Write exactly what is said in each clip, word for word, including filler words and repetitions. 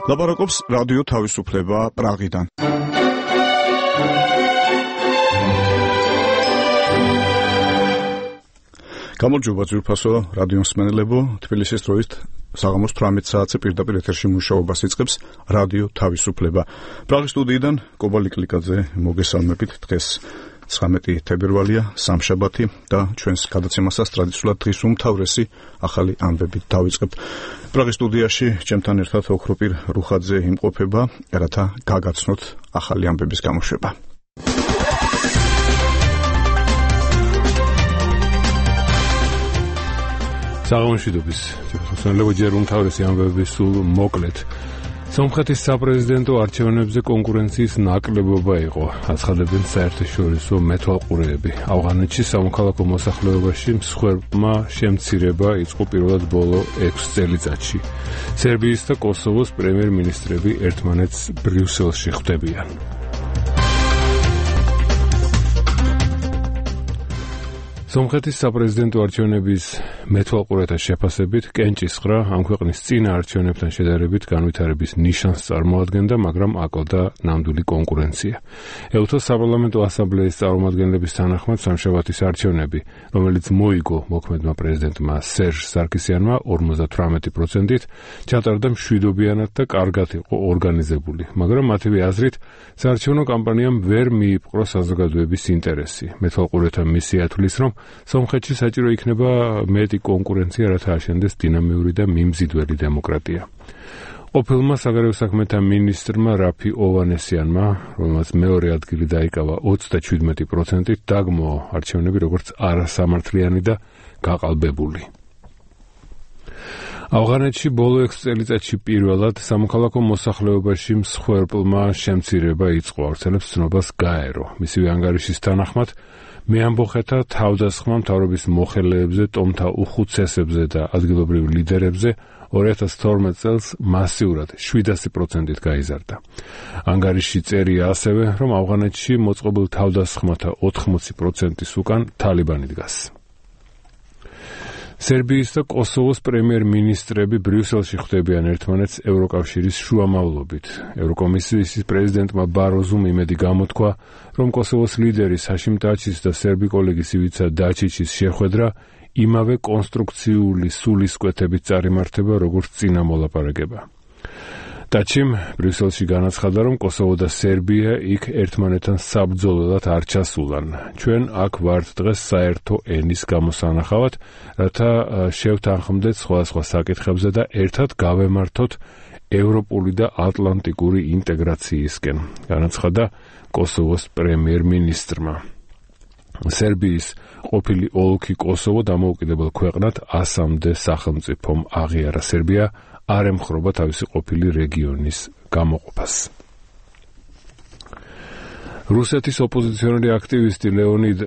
ლაპარაკობს რადიო თავისუფლება პრაღიდან. გამარჯობა ძვირფასო რადიო მსმენელებო, თბილისის დროით საღამოს თვრამეტ საათზე პირდაპირ ეთერში მუშაობას იწყებს რადიო თავისუფლება. პრაღის სტუდიიდან კობალი კლიკაძე მოგესალმებით. დღეს ცხრამეტი თებერვალია, სამშაბათი და ჩვენს გადაცემასაც ტრადიციულად დღის უმთავრესი ახალი ამბებით დავიწყებთ. პრაღის სტუდიაში ჩემთან ერთად ოქროპირ რუხაძე იმყოფება, რათა გაგაცნოთ ახალი ამბების გამოშვება. საღამოშიდობის მოსწავლეები ჯერ უმთავრესი ამბები სულ მოკლედ. სომხეთის საპრეზიდენტო არჩევნებზე კონკურენციის ნაკლებობა იყო, აცხადებენ საერთაშორისო მეთვალყურეები. ავღანეთში სამოქალაქო მოსახლეობაში მსხვერპლმა შემცირება იწყო პირველად ბოლო ექვს წელიწადში. სერბიის და კოსოვოს პრემიერ-მინისტრები ერთმანეთს ბრიუსელში ხვდებიან. სომხეთის საპრეზიდენტო არჩევნების მეთვალყურეთა შეფასებით კენჭისყრა ამ ქვეყნის წინა არჩევნებთან შედარებით განვითარების ნიშანს წარმოადგენდა, მაგრამ აკლდა ნამდვილი კონკურენცია. ეუთოს საპარლამენტო ასამბლეის წარმომადგენლების თანახმად სამშაბათის არჩევნები, რომელიც მოიგო მოქმედმა პრეზიდენტმა სერჟ სარკისიანმა ორმოცდათვრამეტი პროცენტით, ჩატარდა მშვიდობიანად და კარგად იყო ორგანიზებული, მაგრამ მათივე აზრით საარჩევნო კამპანიამ ვერ მიიპყრო საზოგადოების ინტერესი. მეთვალყურეთა მისია თვლის, რომ სომხეთში საჭირო იქნება მეტი კონკურენცია, რათა აშენდეს დინამიური და მიმზიდველი დემოკრატია. ყოფილმა საგარეო საქმეთა მინისტრმა რაფი ოვანესიანმა, რომელმაც მეორე ადგილი დაიკავა ოცდაშვიდმეტი პროცენტით, დაგმო არჩევნები როგორც არასამართლიანი და გაყალბებული. ავღანეთში ბოლო ექვს წელიწადში პირველად სამოქალაქო მოსახლეობაში მსხვერპლმა შემცირება იწყო, ავრცელებს ცნობას გაერო. მისივე ანგარიშის თანახმად მეამბოხეთა თავდასხმა მთავრობის მოხელეებზე, ტომთა უხუცესებზე და ადგილობრივ ლიდერებზე ორი ათას თორმეტ წელს მასიურად შვიდასი პროცენტით გაიზარდა. ანგარიში წერია ასევე, რომ ავღანეთში მოწყობილ თავდასხმათა ოთხმოცი პროცენტის უკან თალიბანი დგას. სერბიის და კოსოვოს პრემიერ-მინისტრები ბრიუსელში ხვდებიან ერთმანეთს ევროკავშირის შუამავლობით. ევროკომისიის პრეზიდენტმა ბაროზუმ იმედი გამოთქვა, რომ კოსოვოს ლიდერის ჰაშიმ ტაჩის და სერბი კოლეგის ივიცა დაჩიჩის შეხვედრა იმავე კონსტრუქციული სულისკვეთებით წარიმართება, როგორც წინა მოლაპარაკება. ტაჩიმ ბრიუსელში განაცხადა, რომ კოსოვო და სერბია იქ ერთმანეთთან საბრძოლველად არ ჩასულან. ჩვენ აქ ვართ დღეს საერთო ენის გამოსანახავად, რათა შევთანხმდეთ სხვადასხვა საკითხებზე და ერთად გავემართოთ ევროპული და ატლანტიკური ინტეგრაციისკენ, განაცხადა კოსოვოს პრემიერ-მინისტრმა. სერბიის ყოფილი ოლქი კოსოვო დამოუკიდებელ ქვეყნად ასამდე სახელმწიფომ აღიარა. სერბია არ ემხრობა თავისი ყოფილი რეგიონის გამოყოფას. რუსეთის ოპოზიციონერი აქტივისტი ლეონიდ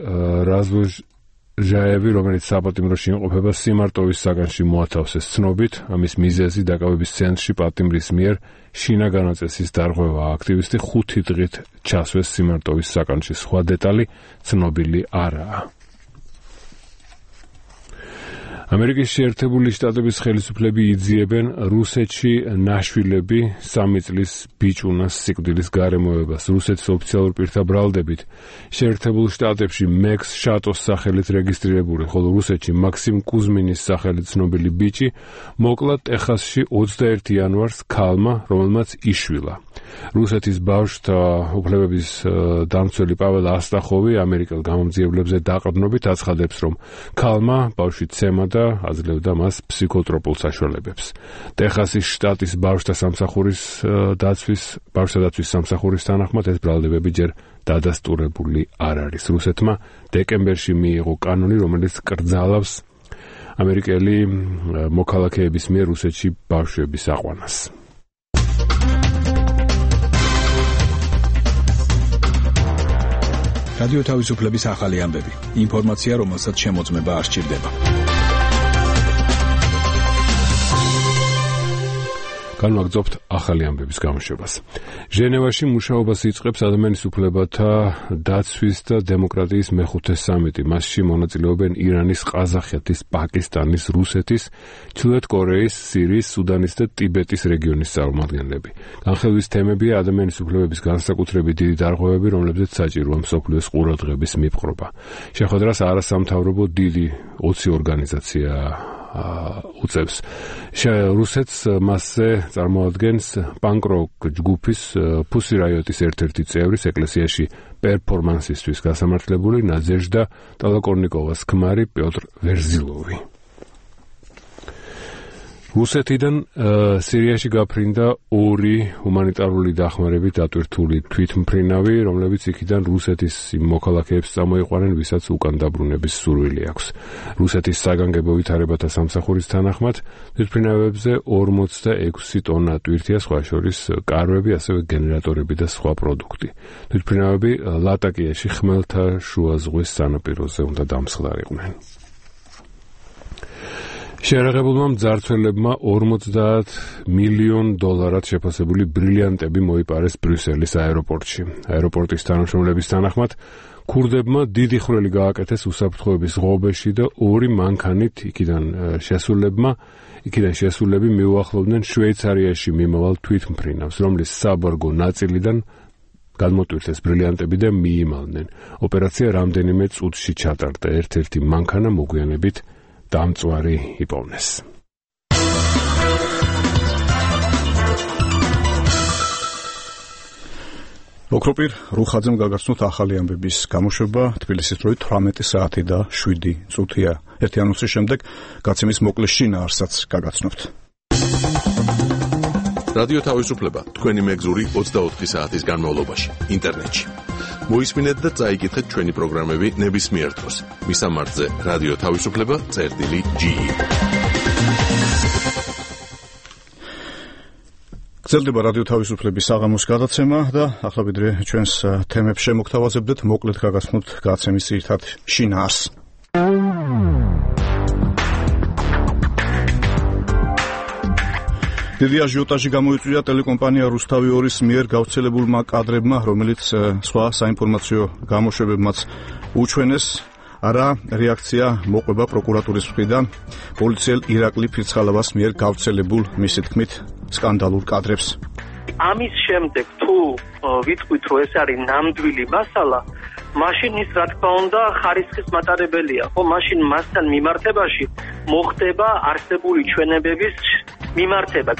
რაზვოჟაევი, რომელიც საპატიმროში იმყოფება, სიმარტოვის საგანში მოათავსეს ცნობით. ამის მიზეზი დაკავების ცენტრში პატიმრის მიერ შინაგანაწესის დარღვევა. აქტივისტი ხუთი დღით ჩასვეს სიმარტოვის საგანში. სხვა დეტალი ცნობილი არაა. ამერიკის შეერთებული შტატების ხელისუფლები იძიებენ რუსეთში ნაშვილები სამი წლის ბიჭუნას სიკვდილის გარემოებას. რუსეთის ოფიციალურ პირთა ბრალდებით შეერთებულ შტატებში მექს შატოს სახელით რეგისტრირებული, ხოლო რუსეთში მაქსიმ კუზმინის სახელით ცნობილი ბიჭი მოკლა ტეხასში ოცდაერთი იანვარს ქალმა, რომელმაც იშვილა. რუსეთის ბავშვთა უფლებების დამცველი პაվել ასტახოვი ამერიკელ გამომძიებლებზე დაყრდნობით აცხადებს, რომ ქალმა ბავშვი ცემა და აძლევდა მას ფსიქოტროპულ საშუალებებს. ტეხასის შტატის ბავშვთა სამსახურის დაცვის ბავშვთა დაცვის სამსახურის თანახმად ეს ბრალდებები ჯერ დადასტურებული არ არის. რუსეთმა დეკემბერში მიიღო კანონი, რომელიც კრძალავს ამერიკელი მოქალაქეების მიერ რუსეთში ბავშვების აყვანას. რადიო თავისუფლების ახალი ამბები. ინფორმაცია, რომელსაც შემოწმება არ სჭირდება. განვაგრძობთ ახალი ამბების გამოშვებას. ჟენევაში მუშაობას იწყებს ადამიანის უფლებათა დაცვის და დემოკრატიის მეხუთე სამიტი. მასში მონაწილეობენ ირანის, ყაზახეთის, პაკისტანის, რუსეთის, ჩრდილოეთ კორეის, სირიის, სუდანის და ტიბეტის რეგიონის წარმომადგენლები. განხილვის თემებია ადამიანის უფლებების განსაკუთრებით დიდი დარღვევები, რომლებზეც საჭიროა მსოფლიოს ყურადღების მიპყრობა. შეხვედრას არასამთავრობო დიდი ოცი ორგანიზაცია უწევს. რუსეთს მასზე წარმოადგენს პანკ-როკ ჯგუფის Pussy Riot-ის ერთ-ერთი წევრის ეკლესიაში პერფორმანსისთვის გასამართლებული ნაძეჟდა ტოლოკორნიკოვას ქმარი პიოტრ ვერზილოვი. რუსეთიდან სირიაში გაფრინდა ორი ჰუმანიტარული დახმარებით დატვირთული თვითმფრინავი, რომლებიც იქიდან რუსეთის მოქალაქეებს წამოიყვანენ, ვისაც უკან დაბრუნების სურვილი აქვს. რუსეთის საგანგებო ვითარებათა სამსახურის თანახმად თვითმფრინავებზე ორმოცდაექვსი ტონა ტვირთია, სხვა შორის კარვები, ასევე გენერატორები და სხვა პროდუქტი. თვითმფრინავები ლატაკიაში ხმელთაშუა ზღვის სანაპიროზე უნდა დამსხლარიყვნენ. შეერაღებულმა მძარცველებმა ორმოცდაათ მილიონ დოლარად შეფასებული ბრილიანტები მოიპარეს ბრიუსელის აეროპორტში. აეროპორტის თანამშრომლების თანახმად, ქურდებმა დიდი ხვრელი გააკეთეს უსაფრთხოების ღობეში და ორი მანქანით იქიდან შესულებმა, იქიდან შესულები მიუახლოვდნენ შვეიცარიაში მიმავალ თვითმფრინავს, რომლის საბარგო ნაწილიდან გადმოტვირთეს ბრილიანტები და მიიმალნენ. ოპერაცია რამდენიმე წუთში ჩატარდა. ერთ-ერთი მანქანა მოგვიანებით დამწვარი იპოვნეს. ოქროპირ რუხაძემ გაგაცნოთ ახალი ამბების გამოშვება. თბილისის დროით თვრამეტი საათი და შვიდი წუთია. ერთი ანონსის შემდეგ გაცემის მოკლე შინაარსსაც გაგაცნობთ. რადიო თავისუფლება თქვენი მეგზური ოცდაოთხი საათის განმავლობაში ინტერნეტში. მოისმინეთ და წაიკითხეთ ჩვენი პროგრამები ნებისმიერ დროს. მისამართზე რადიო თავისუფლება წერტილი ჯი. გრძელდება რადიო თავისუფლების საღამოს გადაცემა და ახლა ვიდრე ჩვენს თემებს შემოგთავაზებდეთ, მოკლედ გაგაცნობთ გაცემის ძირითად შინაარსს. დიდი აჟიოტაჟი გამოიწვია ტელეკომპანია რუსთავი ორის მიერ გავრცელებულმა კადრებმა, რომელიც სხვა საინფორმაციო გამოშვებებმაც უჩვენეს. არა რეაქცია მოყვება პროკურატურის მხრიდან პოლიციელ ირაკლი ფირცხალავას მიერ გავრცელებულ მისი თქმით სკანდალურ კადრებს. ამის შემდეგ თუ ვიტყვით, რომ ეს არის ნამდვილი მასალა, მაშინ ის რა თქმა უნდა ხარისხის მატარებელია, ხო, მაშინ მასთან მიმართებაში მოხდება არსებული ჩვენებების მიმართება.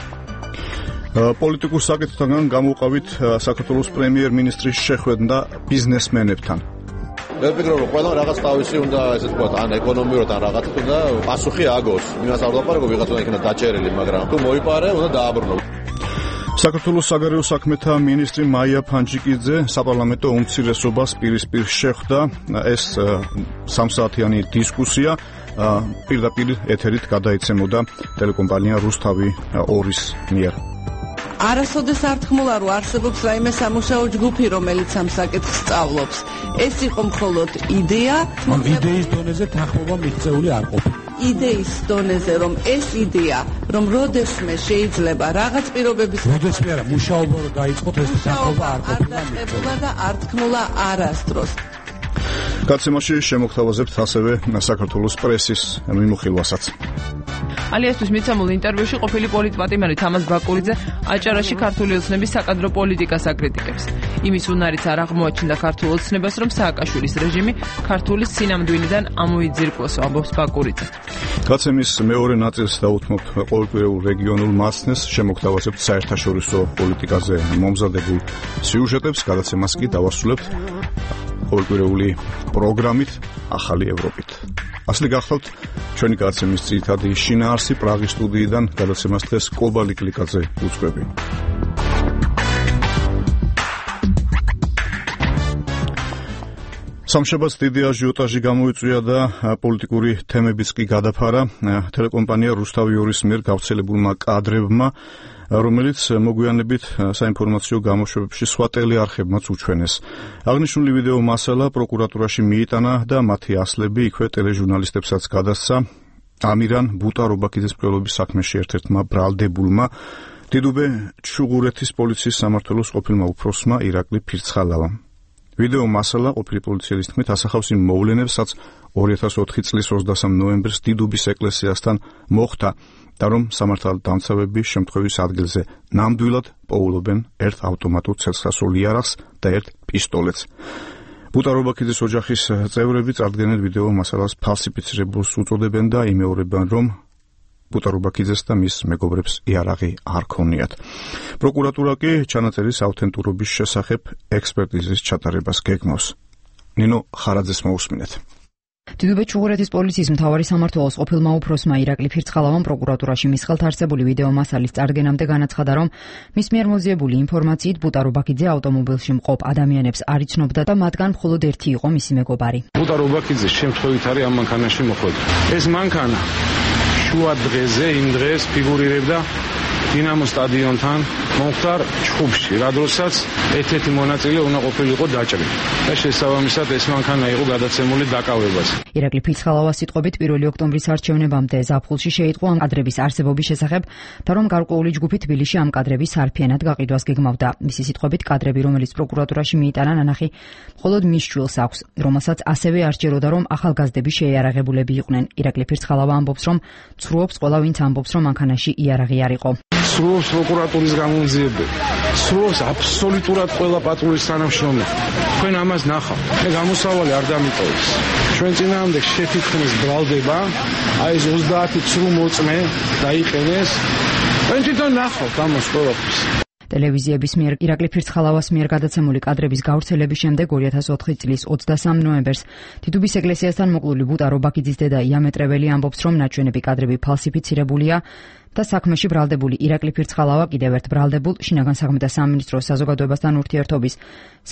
პოლიტიკურ საკითხთან გამოვყავით საქართველოს პრემიერ-მინისტრის შეხვედრა ბიზნესმენებთან. მე ვფიქრობ, რომ ყველა რაღაც თავისი უნდა, ესე ვთქვათ, ან ეკონომიურად ან რაღაცით უნდა პასუხი აგოს. იმას არ ვლაპარაკობ, ვიღაცა იქნება დაჭერილი, მაგრამ თუ მოიპარე, უნდა დააბრუნო. საქართველოს საგარეო საქმეთა მინისტრი მაია ფანჯიკიძე საპარლამენტო უმცირესობას პირისპირ შეხვდა. ეს სამსაათიანი დისკუსია პირდაპირ ეთერით გადაიცემოდა ტელეკომპანია რუსთავი ორის მიერ. არასოდეს არ თქმულა, რომ არსებობს რაიმე სამუშაო ჯგუფი, რომელიც ამ საკითხს სწავლობს. ეს იყო მხოლოდ იდეა, მაგრამ იდეის დონეზე თანხმობა მიღწეული არ ყოფილა. იდეის დონეზე, რომ ეს იდეა, რომ როდესმე შეიძლება რაღაც პირობების როდესმე არა, მუშაობა რო დაიწყოთ, ეს თანხმობა არ ყოფილა და არ თქმულა არასდროს. გაცემაში შემოგთავაზებთ ასევე საქართველოს პრესის მიმოხილვასაც. ალიასთვის მიცემულ ინტერვიუში ყოფილი პოლიტპატიმარი თამაზ ბაკურიძე აჭარაში ქართული ოცნების საკადრო პოლიტიკას აკრიტიკებს. იმის უნარიც არ აღმოაჩნდა ქართულ ოცნებას, რომ სააკაშვილის რეჟიმი ქართული სინამდვილიდან ამოიძირკვლოს, ამბობს ბაკურიძე. გაცემის მეორე ნაწილს დაუთმობთ ყოველკვირეულ რეგიონულ მასწნეს, შემოგთავაზებთ საერთაშორისო პოლიტიკაზე მომზადებულ სიუჟეტებს, გადაცემას კი დავასრულებთ ყოველკვირეული პროგრამით ახალი ევროპით. ასლი გახსოვთ ჩვენი გადაცემის ძირითადი შინაარსი პრაღის სტუდიიდან გადაცემას დღეს კობალი კლიკაძე უძღვები. სამშაბათს დიდი აჟიოტაჟი გამოიწვია და პოლიტიკური თემებიც კი გადაფარა ტელეკომპანია რუსთავი ორის მიერ გავრცელებულმა კადრებმა, რომელიც მოგვიანებით საინფორმაციო გამოშვებებში სხვა ტელეარხებმაც უჩვენეს. აღნიშნული ვიდეო მასალა პროკურატურაში მიიტანა და მათი ასლები იქვე ტელეჟურნალისტებსაც გადასცა. ამირან ბუტარობაქიძის მკვლელობის საქმეში ერთ-ერთმა ბრალდებულმა დიდუბე ჩუღურეთის პოლიციის სამმართველოს ყოფილმა უფროსმა ირაკლი ფირცხალავამ. ვიდეო მასალა ყოფილი პოლიციელის თქმით ასახავს იმ მოვლენებს, რაც ორი ათას ოთხი წლის ოცდასამ ნოემბერს დიდუბის ეკლესიასთან მოხდა და რომ სამართალდამცავები შემთხვევის ადგილზე ნამდვილად პოულობენ ერთ ავტომატურ ცეცხლსასროლ იარაღს და ერთ პისტოლეტს. ბუტარობაქიძის ოჯახის წევრები წარდგენენ ვიდეო მასალას ფალსიფიცირებულს უწოდებენ და იმეორებენ, რომ ბუტარობაქიძეს და მის მეგობრებს იარაღი არ ქონიათ. პროკურატურა კი ჩანაწერის ავთენტურობის შესახებ ექსპერტიზის ჩატარებას გეგმავს. ნინო ხარაძეს მოусმინეთ. დიდუბე ჩუღურეთის პოლიციის მთავარი სამმართველოს ყოფილმა უფროსმა ირაკლი ფირცხალავამ პროკურატურაში მის ხელთ არსებული ვიდეო მასალის წარდგენამდე განაცხადა, რომ მის მიერ მოძიებული ინფორმაციით ბუტარობაქიძე ავტომობილში მყოფ ადამიანებს არ იცნობდა და მათგან მხოლოდ ერთი იყო მისი მეგობარი. ბუტარობაქიძე შემთხვევით არის ამ მანქანაში მოხვედრილი. ეს მანქანა შუა დღეზე იმ დღეს ფიგურირებდა დინამო სტადიონთან მომხდარ ჩხუბში, რა დროსაც ერთ-ერთი მონაწილე უნდა ყოფილიყო დაჭრილი და შესაბამისად ეს მანქანა იყო გადაცემული დაკავებაზე. ირაკლი ფირცხალავას სიტყვებით პირველი ოქტომბრის არჩევნებამდე ზაფხულში შეიტყო ამ კადრების არსებობის შესახებ და რომ გარკვეული ჯგუფი თბილისში ამ კადრების არფიანად გაყიდვას გეგმავდა. მისი სიტყვებით კადრები, რომელიც პროკურატურაში მიიტანა ნანახი, მხოლოდ მის შვილს აქვს, რომელსაც ასევე არ სჯეროდა, რომ ახალგაზრდები შეიარაღებულები იყვნენ. ირაკლი ფირცხალავა ამბობს, რომ ცრუობს ყველა ვინც ამბობს, რომ მანქანაში იარაღი არ იყო. სრულობს პროკურატურის გამონძიებები, სრულობს აბსოლუტურად ყველა პატრულის თანამშრომელი. თქვენ ამას ნახავთ. მე გამოსავალი არ დამიტოვეს. ჩვენ წინააღმდეგ შეთითქმის ბრალდება, აი ეს ოცდაათი ცრუ მოწმე დაიყენეს. ჩვენ თვითონ ნახავთ ამას ყველაფერს. ტელევიზიების მიერ ირაკლი ფირცხალავას მიერ გადაცემული კადრების გავრცელების შემდეგ ორი ათას ოთხი წლის ოცდასამ ნოემბერს დიდუბის ეკლესიასთან მოკლული ბუტარობაქიძის დედა იამეტრეველი ამბობს, რომ ნაჩვენები კადრები ფალსიფიცირებულია და საქმეში ბრალდებული ირაკლი ფირცხალავა კიდევ ერთ ბრალდებულ შინაგან საქმეთა სამინისტროს საზოგადოებასთან ურთიერთობის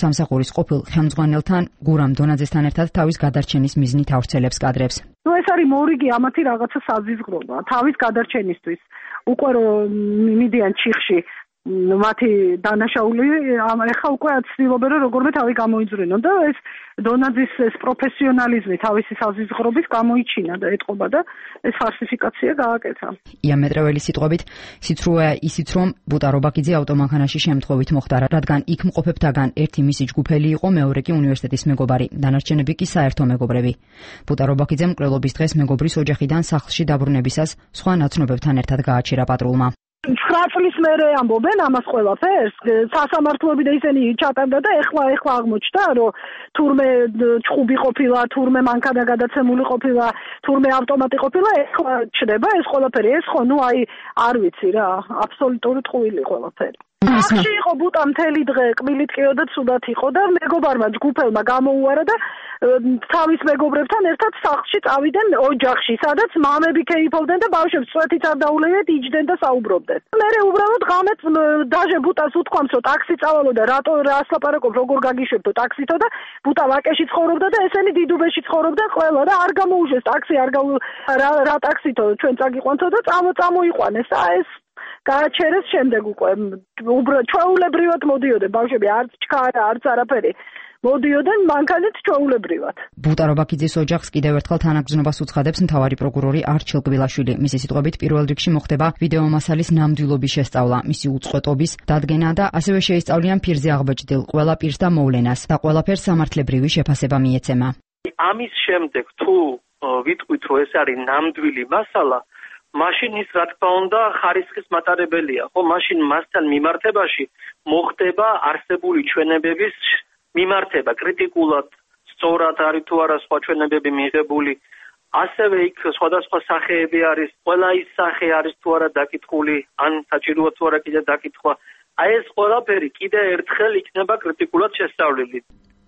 სამსახურის ყოფილ ხელმძღვანელთან გურამ დონაძესთან ერთად თავის გადარჩენის მიზნით ავრცელებს კადრებს. ნუ ეს არის მორიგი ამათი რაღაცა საზიზღრობა თავის გადარჩენისთვის. უკვე რომ მიდიან ჩიხში მათი დანაშაული ეხა უკვე ცდილობენ რომ როგორმე თავი გამოიძვრინონ და ეს დონაძის ეს პროფესიონალიზმი თავისი საზიზღრობის გამოიჩინა და ეტყობა და ეს ფალსიფიკაცია გააკეთა. იამეტრეველი სიტყვებით სიცრუეა ისიც რომ ბუტარობაქიძე ავტომანქანაში შემთხვევით მოხდა, რადგან იქ მყოფებთაგან ერთი მისი ჯგუფელი იყო, მეორე კი უნივერსიტეტის მეგობარი, დანარჩენები კი საერთო მეგობრები. ბუტარობაქიძემ მკვლელობის დღეს მეგობრის ოჯახიდან სახლში დაბრუნებისას სხვა ნაცნობებთან ერთად გააჩერა პატრულმა. ცხრა წლის მერე ამბობენ ამას ყველაფერს, სასამართლოები და ისინი ჩატარდა და ეხლა ეხლა აღმოჩნდა, რომ თურმე ჩხუბი ყოფილა, თურმე მანქანა გადაცემული ყოფილა, თურმე ავტომატი ყოფილა, ეხლა ჩდება ეს ყველაფერი. ეს ხო, ნუ აი არ ვიცი რა, აბსოლუტური ტყუილი ყველაფერი. სახში იყო ბუტა მთელი დღე, კბილით ყიოდა, ცუდად იყო და მეგობარმა ჯგუფელმა გამოუარა და თავის მეგობრებთან ერთად სახლში წავიდნენ ოჯახში, სადაც მამები ქეიფობდნენ და ბავშვებს წვეთით არ დაულევიათ, იჯდნენ და საუბრობდნენ. მერე უბრალოდ ღამეთ დაჟე ბუტას უთქვამს, რომ ტაქსი წავალო და რატო რას ლაპარაკობ, როგორ გაგიშვებდო ტაქსითო და ბუტა ვაკეში ცხოვრობდა და ესენი დიდუბეში ცხოვრობდნენ ყველა და არ გამოუშვეს ტაქსი, არ რა რა ტაქსითო ჩვენ წაგიყვანთო და წამო წამოიყვანეს და ეს გააჩერეს შემდეგ უკვე უბრალოდ ჩვეულებრივად მოდიოდნენ ბავშვები, არც ჩქარა, არც არაფერი. მოდიოდნენ მანქანით ჩვეულებრივად. ბუტარობაქიძის ოჯახს კიდევ ერთხელ თანაგრძნობას უცხადებს მთავარი პროკურორი არჩილ კბილაშვილი. მისი სიტყვებით პირველ რიგში მოხდება ვიდეო მასალის ნამდვილობის შესწავლა, მისი უწყვეტობის დადგენა და ასევე შეისწავლიან ფირზე აღბეჭდილ ყველა პირს და მოვლენას და ყველაფერს სამართლებრივი შეფასება მიეცემა. ამის შემდეგ თუ ვიტყვით, რომ ეს არის ნამდვილი მასალა, მაშინ ის რა თქმა უნდა ხარისხის მატარებელია, ხო? მაშინ მასთან მიმართებაში მოხდება არსებული ჩვენებების მიმართება კრიტიკულად, სწორად არის თუ არა სხვა ჩვენებები მიღებული. ასევე იქ სხვადასხვა სახეები არის, ყველა ის სახე არის თუ არა დაკითხული, ან საჭიროა თუ არა კიდე დაკითხვა. აი ეს ყველაფერი კიდე ერთხელ იქნება კრიტიკულად შესწავლილი.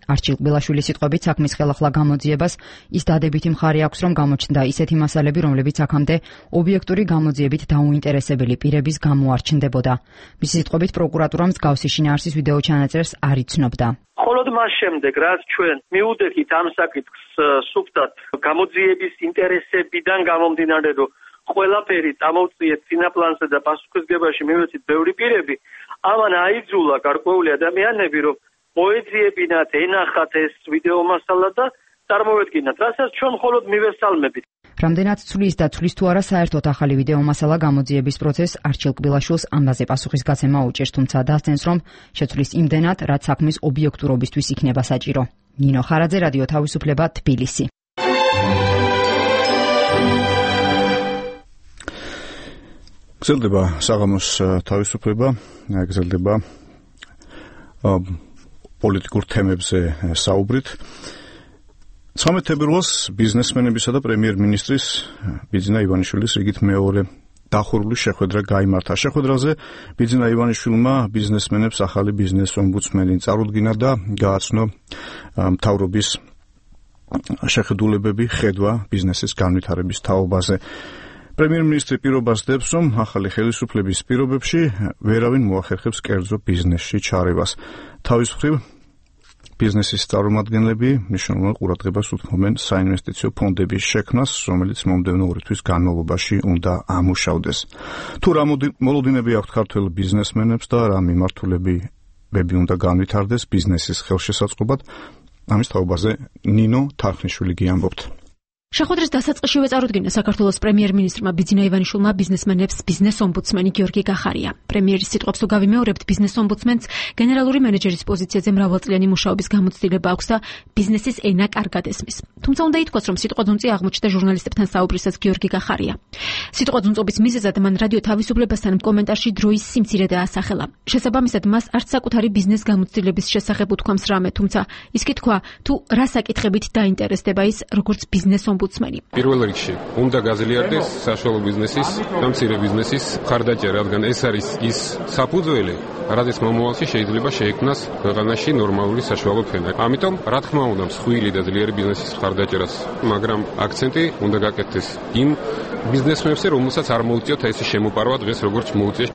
არჩილ კბილაშვილის სიტყვებით საქმის ხელახლა გამოძიებას ის დადებითი მხარე აქვს, რომ გამოჩნდა ისეთი მასალები, რომლებიც აქამდე ობიექტური გამოძიებით დაუინტერესებელი პირების გამოარჩნდებოდა. მისი სიტყვებით პროკურატურა მსგავსი შინაარსის ვიდეო ჩანაწერს არ იცნობდა. მხოლოდ მას შემდეგ, რაც ჩვენ მიუდექით ამ საკითხს სუფთად გამოძიების ინტერესებიდან გამომდინარე, რომ ყველაფერი წამოვწიეთ წინაპლანზე და პასუხისგებაში მივეცით ბევრი პირები, ამან აიძულა გარკვეული ადამიანები, რომ მოეძიებინათ, ენახათ ეს ვიდეო მასალა და წარმოვედგინათ, რასაც ჩვენ მხოლოდ მივესალმებით. რამდენად ცვლის და ცვლის თუ არა საერთოდ ახალი ვიდეო მასალა გამოძიების პროცესს არჩილ კბილაშვილს ამბაზე პასუხისგაცემა უჭერს, თუმცა დასცენს, რომ შეცვლის იმდენად, რაც საქმის ობიექტურობისთვის იქნება საჭირო. ნინო ხარაძე, რადიო თავისუფლება, თბილისი. გრძელდება საღამოს თავისუფლება, გრძელდება პოლიტიკურ თემებზე საუბრით. ცხრამეტ თებერვალს ბიზნესმენებისა და პრემიერ-მინისტრის ბიძინა ივანიშვილის რიგით მეორე დახურული შეხვედრა გაიმართა. შეხვედრაზე ბიძინა ივანიშვილმა ბიზნესმენებს ახალი ბიზნეს ომბუდსმენი წარუდგინა და გააცნო მთავრობის შეხედულებები ხედვა ბიზნესის განვითარების თაობაზე. პრემიერ-მინისტრი პირობას დებს, რომ ახალი ხელისუფლების პირობებში ვერავინ მოახერხებს კერძო ბიზნესში ჩარევას. თავის მხრივ ბიზნესის წარმომადგენლები მნიშვნელოვან ყურადღებას უთმობენ საინვესტიციო ფონდების შექმნას, რომელიც მომდევნო ორი თვის განმავლობაში უნდა ამუშავდეს. თუ რა მოლოდინები აქვთ ქართველ ბიზნესმენებს და რა მიმართულებები უნდა განვითარდეს ბიზნესის ხელშესაწყობად, ამის თაობაზე ნინო თარხნიშვილი გიამბობთ. შეხვედრის დასაწყისშივე წარუდგინა საქართველოს პრემიერ-მინისტრმა ბიძინა ივანიშვილმა ბიზნესმენებს ბიზნეს ომბუდსმენი გიორგი გახარია. პრემიერის სიტყვებს თუ გავიმეორებთ, ბიზნეს ომბუდსმენს გენერალური მენეჯერის პოზიციაზე მრავალწლიანი მუშაობის გამოცდილება აქვს და ბიზნესის ენა კარგად ესმის. თუმცა უნდა ითქვას, რომ სიტყვაძუნწი აღმოჩნდა ჟურნალისტებთან საუბრისას გიორგი გახარია. სიტყვაძუნწობის მიზეზად მან რადიო თავისუფლებასთან კომენტარში დროის სიმცირე დაასახელა. შესაბამისად, მას არც საკუთარი ბიზნეს გამოცდილების შესახებ უთქვამს რამე, თუმცა ის კი თქვა, თუ რა საკითხებით დაინტერესდება ის როგორც ბიზნეს ომბუდსმენი. პირველ რიგში უნდა გაზიარდეს საშუალო ბიზნესის და მცირე ბიზნესის მხარდაჭერა, რადგან ეს არის ის საფუძველი, რადგან მომავალში შეიძლება შეექმნას ქვეყანაში ნორმალური საშუალო ფენა. ამიტომ, რა თქმა უნდა, მსხვილი და ძლიერი ბიზნესის მხარდაჭერას, მაგრამ აქცენტი უნდა გაკეთდეს იმ ბიზნესმენებზე, რომელსაც არ მოუწიოთ ეს შემოპარვა დღეს როგორც მოუწია.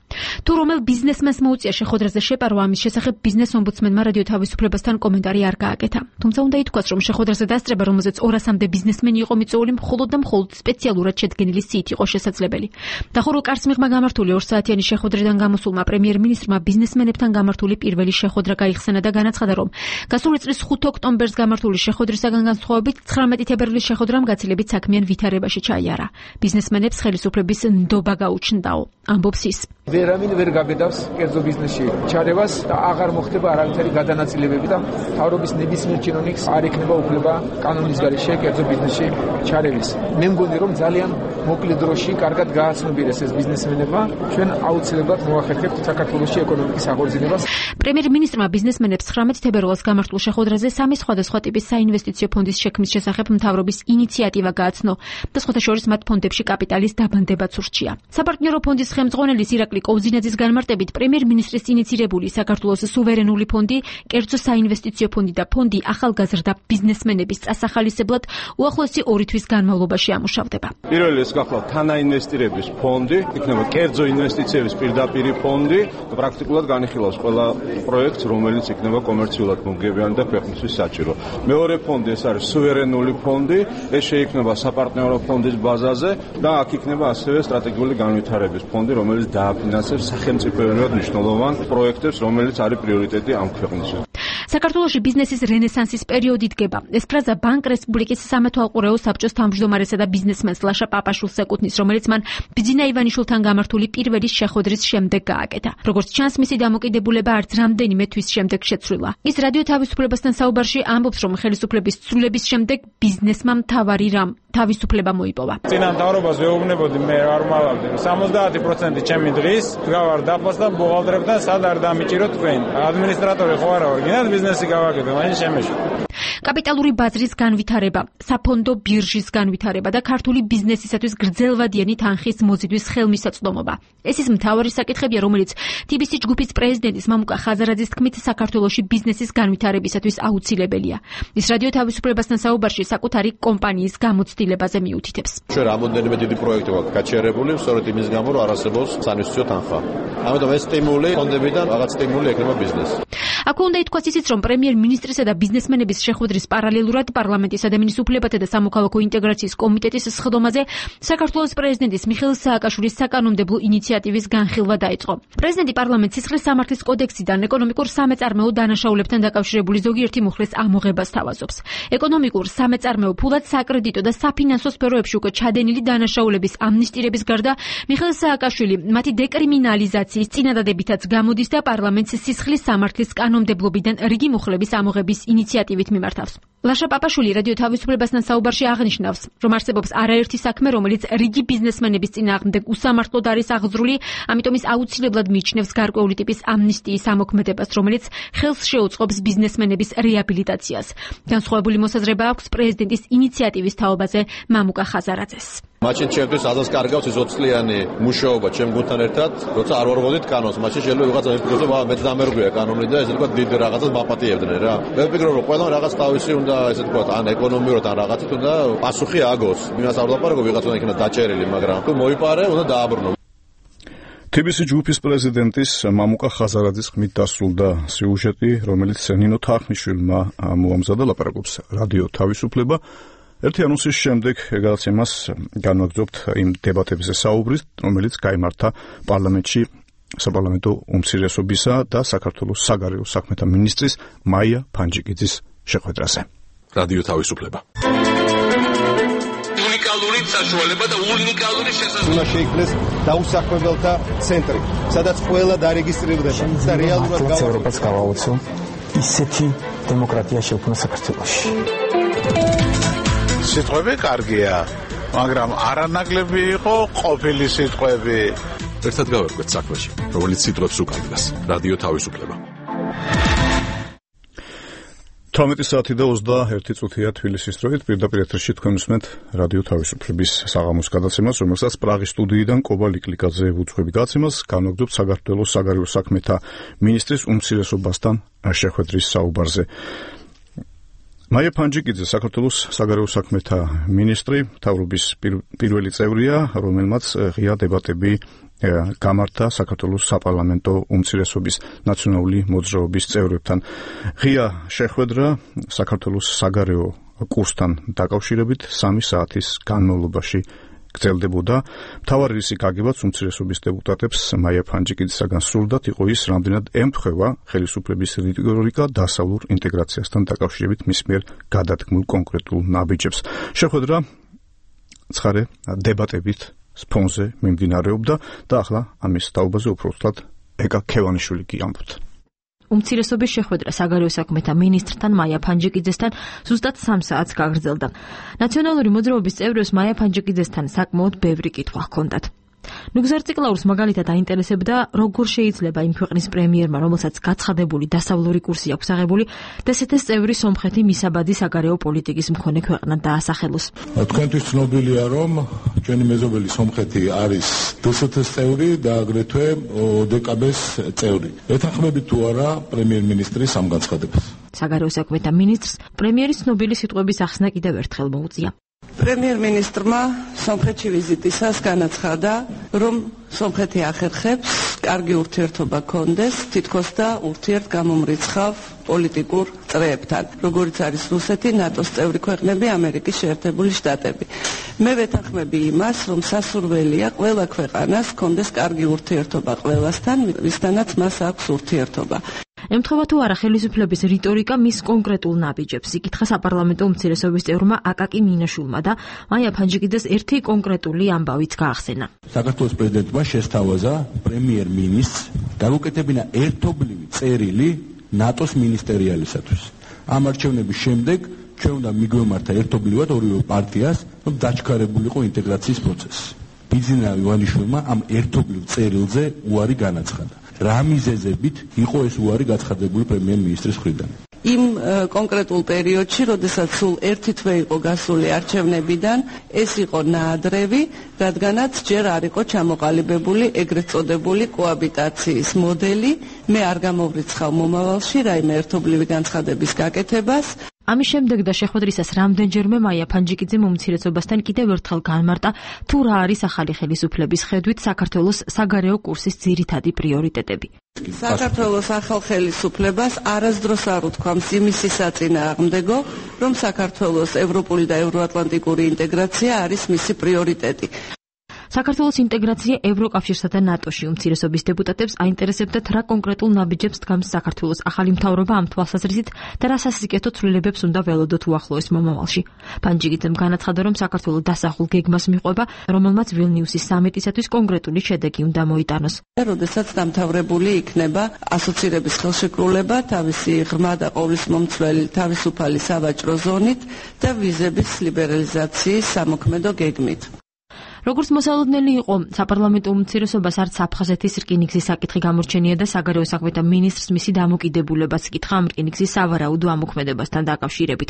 თუ რომელ ბიზნესმენს მოუწია შეხვედრაზე შეპარვა, ამის შესახებ ბიზნეს ომბუდსმენმა რადიო თავისუფლებასთან კომენტარი არ გააკეთა. თუმცა უნდა ითქვას, რომ შეხვედრაზე დასწრება, რომელზეც ორასამდე ბიზნესმენი იყო მიწვეული, მხოლოდ და მხოლოდ სპეციალურად შედგენილი სიით იყო შესაძლებელი. დახურულ კარს მიღმა გამართული ორ საათიანი შეხვედრიდან გამოსულმა პრემიერ-მინისტრმა ბიზნესმენებთან გამართული პირველი შეხვედრა გაიხსენა და განაცხადა, რომ გასული წლის ხუთი ოქტომბერს გამართული შეხვედრისაგან განსხვავებით ცხრამეტი თებერვლის შეხვედრამ გაცილებით საქმიან ვითარებაში ჩაიარა. ბიზნესმენებს ხელისუფლების ნდობა გაუჩნდაო, ამბობს ის. ვერავინ ვერ გაბედავს კერძო ბიზნესში ჩარევას და აღარ მოხდება არავითარი გადანაწილებები და მთავრობის ნებისმიერ ჩინოვნიკს არ ექნება უფლება კანონის გარეშე კერძო ბიზნესში ჩარევის. მე მგონი, რომ ძალიან მოკლე დროში კარგად გააცნობიერეს ეს ბიზნესმენებმა, ჩვენ აუცილებლად მოახერხებთ საქართველოში ეკონომიკის აღორძინებას. პრემიერ-მინისტრმა ბიზნესმენებს ცხრამეტ თებერვალს გამართულ შეხვედრაზე სამი სხვადასხვა ტიპის საინვესტიციო ფონდის შექმნის შესახებ მთავრობის ინიციატივა გააცნო და სხვათა შორის მათ ფონდებში კაპიტალის დაბანდებაც ურჩია. საპარტნიორო ფონდის ხელმძღვანელის ირაკლი კოვზინაძის განმარტებით, პრემიერ-მინისტრის ინიცირებული საქართველოს სუვერენული ფონდი, კერძო საინვესტიციო ფონდი და ფონდი ახალგაზრდა ბიზნესმენების წასახალისებლად უახლოესი ორი თვის განმავლობაში ამუშავდება. პირველი ეს გახლავთ თანაინვესტირების ფონდი, იქნება კერძო ინვესტიციების პირდაპირი ფონდი და პრაქტიკულად განიხილავს ყველა პროექტს, რომელიც იქნება კომერციულად მომგებიანი და ქვეყნისთვის საჭირო. მეორე ფონდი ეს არის სუვერენული ფონდი, ეს შეიქმნება საპარტნიორო ფონდის ბაზაზე და აქ იქნება ასევე სტრატეგიული განვითარების ფონდი, რომელიც დააფინანსებს სახელმწიფოებრივად მნიშვნელოვან პროექტებს, რომელიც არის პრიორიტეტი ამ ქვეყნისთვის. საქართველოში ბიზნესის რენესანსის პერიოდი დგება. ეს ფრაზა ბანკ რესპუბლიკის სამეთვალყურეო საბჭოს თავმჯდომარესა და ბიზნესმენს ლაშა პაპაშვილს ეკუთვნის, რომელიც მან ბიძინა ივანიშვილთან გამართული პირველი შეხვედრის შემდეგ გააკეთა. როგორც ჩანს, მისი დამოკიდებულება არც რამდენიმე თვის შემდეგ შეცვლილა. ის რადიო თავისუფლებასთან საუბარში ამბობს, რომ ხელისუფლების ცვლილების შემდეგ ბიზნესმა მთავარი რამ თავისუფლება მოიპოვა. წინა მთავრობას ვეუბნებოდი, მე არ მალავდი. სამოცდაათი პროცენტი ჩემი დღის გავარ დაფას და ბუღალტრებთან სად არ დამიჭიროთ თქვენ. ადმინისტრატორი ხო არა ვარ, გინდათ ბიზნესი გავაკეთე, მაინც შემეშო. კაპიტალური ბაზრის განვითარება, საფონდო ბირჟის განვითარება და ქართული ბიზნესისათვის გრძელვადიანი თანხის მოზიდვის ხელმისაწვდომობა. ეს ის მთავარი საკითხებია, რომელიც თი ბი სი ჯგუფის პრეზიდენტის მამუკა ხაზარაძის თქმით საქართველოში ბიზნესის განვითარებისათვის აუცილებელია. ის რადიო თავისუფლებასთან საუბარში საკუთარი კომპანიის გამოცდილებაზე მიუთითებს. ჩვენ რამოდენიმე დიდი პროექტი გვაქვს გაჩერებული, სწორედ იმის გამო, რომ არ არსებობს საინვესტიციო თანხა. ამიტომ ეს სტიმული ფონდებიდან რაღაც სტიმული ექნება ბიზნესს. აქ უნდა ითქვას ისიც, რომ პრემიერ-მინისტრისა და ბიზნესმენების შეხვედრის პარალელურად პარლამენტის ადამიანის უფლებათა და სამოქალაქო ინტეგრაციის კომიტეტის სხდომაზე საქართველოს პრეზიდენტის მიხეილ სააკაშვილის საკანონმდებლო ინიციატივის განხილვა დაიწყო. პრეზიდენტი პარლამენტს სისხლის სამართლის კოდექსიდან ეკონომიკურ სამეწარმეო დანაშაულებთან დაკავშირებული ზოგიერთი მუხლის ამოღებას თავაზობს. ეკონომიკურ სამეწარმეო ფულად საკრედიტო და საფინანსო სფეროებში უკვე ჩადენილი დანაშაულების ამნისტირების გარდა მიხეილ სააკაშვილი მათი დეკრიმინალიზაციის წინადადებითაც გამოდის და პარლამენტს სისხლის სამართლის კანონმდებლობიდან რიგი მუხლების ამოღების ინიციატივით მიმართავს. ლაშა პაპაშვილი რადიო თავისუფლებასთან საუბარში აღნიშნავს, რომ არსებობს არაერთი საქმე, რომელიც რიგი ბიზნესმენების წინააღმდეგ უსამართლოდ არის აღძრული, ამიტომ ის აუცილებლად მიიჩნევს გარკვეული ტიპის ამნისტიის ამოქმედებას, რომელიც ხელს შეუწყობს ბიზნესმენების რეაბილიტაციას. განსხვავებული მოსაზრება აქვს პრეზიდენტის ინიციატივის თაობაზე მამუკა ხაზარაძეს. მაშინ ჩემთვის ადას კარგავს ის ოცწლიანი მუშაობა ჩემ გუნდთან ერთად, როცა არ ვარღვევდით კანონს, მაშინ შეიძლება ვიღაცა ისწავლოს, მაგრამ მეც დამერგვია კანონი და ესე ვთქვათ დიდ რაღაცას მაპატიებდნენ რა. მე ვფიქრობ, რომ ყველა რაღაც თავისი უნდა ესე ვთქვათ, ან ეკონომიურად ან რაღაცით უნდა პასუხი აგოს. იმას არ ვლაპარაკობ, ვიღაცა უნდა იქნება დაჭერილი, მაგრამ თუ მოიპარე, უნდა დააბრუნო. თი ბი სი ჯგუფის პრეზიდენტის მამუკა ხაზარაძის ხმით დასრულდა სიუჟეტი, რომელიც ნინო თახმიშვილმა მოამზადა, ლაპარაკობს რადიო თავისუფლება. ერთი ანონსის შემდეგ გადაცემას განვაგრძობთ იმ დებატებზე საუბრის, რომელიც გაიმართა პარლამენტში საპარლამენტო უმცირესობისა და საქართველოს საგარეო საქმეთა მინისტრის მაია ფანჯიკიძის შეხვედრაზე. რადიო თავისუფლება. უნიკალური საშუალება და უნიკალური შესაძლებლობა. უნდა შეიქმნეს დაუსაქმებელთა ცენტრი, სადაც ყველა დარეგისტრირდება და რეალურად გავა ევროპას გავაოცო ისეთი დემოკრატია შექმნა საქართველოში. სიტყვები კარგია, მაგრამ არანაკლები იყო ყოფილი სიტყვები. ერთად გავერკვეთ საქმეში, რომელიც სიტყვებს უკავშირდება. რადიო თავისუფლება. თორმეტი საათი და ოცდაერთი წუთია თბილისის დროით, პირდაპირ ეთერში თქვენ უსმენთ რადიო თავისუფლების საღამოს გადაცემას, რომელსაც პრაღის სტუდიიდან კობა ლიკლიკაძე უძღვები გადაცემას, განვაგრძობთ საქართველოს საგარეო საქმეთა მინისტრის უმცირესობასთან შეხვედრის საუბარზე. მაია ფანჯიკიძე საქართველოს საგარეო საქმეთა მინისტრი, მთავრობის პირველი წევრია, რომელმაც ღია დებატები გამართა საქართველოს საპარლამენტო უმცირესობის ნაციონალური მოძრაობის წევრებთან. ღია შეხვედრა საქართველოს საგარეო კურსთან დაკავშირებით სამი საათის განმავლობაში გრძელდებოდა. მთავარი რისი გაგებაც უმცირესობის დეპუტატებს მაია ფანჯიკიძისაგან სურდათ იყო ის, რამდენად ემთხვევა ხელისუფლების რიტორიკა დასავლურ ინტეგრაციასთან დაკავშირებით მის მიერ გადადგმულ კონკრეტულ ნაბიჯებს. შეხვედრა ცხარე დებატებით სფონზე მიმდინარეობდა და ახლა ამის თაობაზე უფრო ვთქვათ ეკა ქევანიშვილი კი ამბობთ. უმცირესობის შეხვედრა საგარეო საქმეთა მინისტრთან მაია ფანჯიკიძესთან ზუსტად სამ საათს გაგრძელდა. ნაციონალური მოძრაობის წევრებს მაია ფანჯიკიძესთან საკმაოდ ბევრი კითხვა ჰქონდათ. ნუგზარციკლაურს მაგალითად აინტერესებდა, როგორ შეიძლება იმ ქვეყნის პრემიერმა, რომელსაც გაცხადებული დასავლური კურსი აქვს აღებული, დსთ-ს წევრი სომხეთი მისაბადი საგარეო პოლიტიკის მქონე ქვეყნად დაასახელოს. თქვენთვის ცნობილია, რომ ჩვენი მეზობელი სომხეთი არის დსთ-ს წევრი და აგრეთვე ოდკბ-ს წევრი. ეთანხმებით თუ არა პრემიერ-მინისტრის ამ განცხადებას? საგარეო საქმეთა მინისტრს პრემიერის ცნობილი სიტყვების ახსნა კიდევ ერთხელ მოუწია. პრემიერ-მინისტრმა სომხეთში ვიზიტისას განაცხადა, რომ სომხეთი ახერხებს კარგი ურთიერთობა კონდეს თითქოს და ურთიერთგამომრიცხავ პოლიტიკურ წრეებთან, როგორიც არის რუსეთი, ნატოს წევრი ქვეყნები, ამერიკის შეერთებული შტატები. მე ვეთანხმები იმას, რომ სასურველია ყველა ქვეყანას კონდეს კარგი ურთიერთობა ყველასთან, ვისთანაც მას აქვს ურთიერთობა. ემთხვევა თუ არა ხელისუფლების რიტორიკა მის კონკრეტულ ნაბიჯებს, იკითხა საპარლამენტო უმცირესობის წევრმა აკაკი მინაშვილმა და მაია ფანჯიკიძეს ერთი კონკრეტული ამბავიც გაახსენა. საქართველოს პრეზიდენტმა შესთავაზა პრემიერ-მინისტრს დაგუკეთებინა ერთობლივი წერილი ნატოს მინისტერიალისათვის. ამ არჩევნების შემდეგ ჩვენ უნდა მიგვემართა ერთობლივად ორივე პარტიას, რომ დაჩქარებულიყო ინტეგრაციის პროცესი. ბიძინა ივანიშვილმა ამ ერთობლივ წერილზე უარი განაცხადა. რა მიზეზებით იყო ეს უარი გაცხადებული პრემიერ-მინისტრის მხრიდან? იმ კონკრეტულ პერიოდში, როდესაც სულ ერთი თვე იყო გასული არჩევნებიდან, ეს იყო ნაადრევი, რადგანაც ჯერ არ იყო ჩამოყალიბებული ეგრეთ წოდებული კოაბიტაციის მოდელი. მე არ გამოვრიცხავ მომავალში რაიმე ერთობლივი განცხადების გაკეთებას. ამის შემდეგ და შეხვედრისას რამდენჯერმე მაია ფანჯიკიძემ უმცირესობასთან კიდევ ერთხელ განმარტა თუ რა არის ახალი ხელისუფლების ხედვით საქართველოს საგარეო კურსის ძირითადი პრიორიტეტები. საქართველოს ახალ ხელისუფლებას არასდროს არ უთქვამს იმისი საწინააღმდეგო, რომ საქართველოს ევროპული და ევროატლანტიკური ინტეგრაცია არის მისი პრიორიტეტი. საქართველოს ინტეგრაცია ევროკავშირსა და ნატოში უმცირესობის დეპუტატებს აინტერესებდათ რა კონკრეტულ ნაბიჯებს დგამს საქართველოს ახალი მთავრობა ამ თვალსაზრისით და რა სასიკეთო ცვლილებებს უნდა ველოდოთ უახლოეს მომავალში. ფანჯიკიძემ განაცხადა, რომ საქართველოს დასახულ გეგმას მიყვება, რომელმაც ვილნიუსის სამიტისათვის კონკრეტული შედეგი უნდა მოიტანოს. როდესაც დამთავრებული იქნება ასოცირების ხელშეკრულება თავისი ღრმა და ყოვლისმომცველი თავისუფალი სავაჭრო ზონით და ვიზების ლიბერალიზაციის სამოქმედო გეგმით. როგორც მოსალოდნელი იყო, საპარლამენტო უმცირესობას არც აფხაზეთის რკინიგზის საკითხი გამორჩენია და საგარეო საქმეთა მინისტრს მისი დამოკიდებულებაც ეკითხა ამ რკინიგზის სავარაუდო ამოქმედებასთან დაკავშირებით.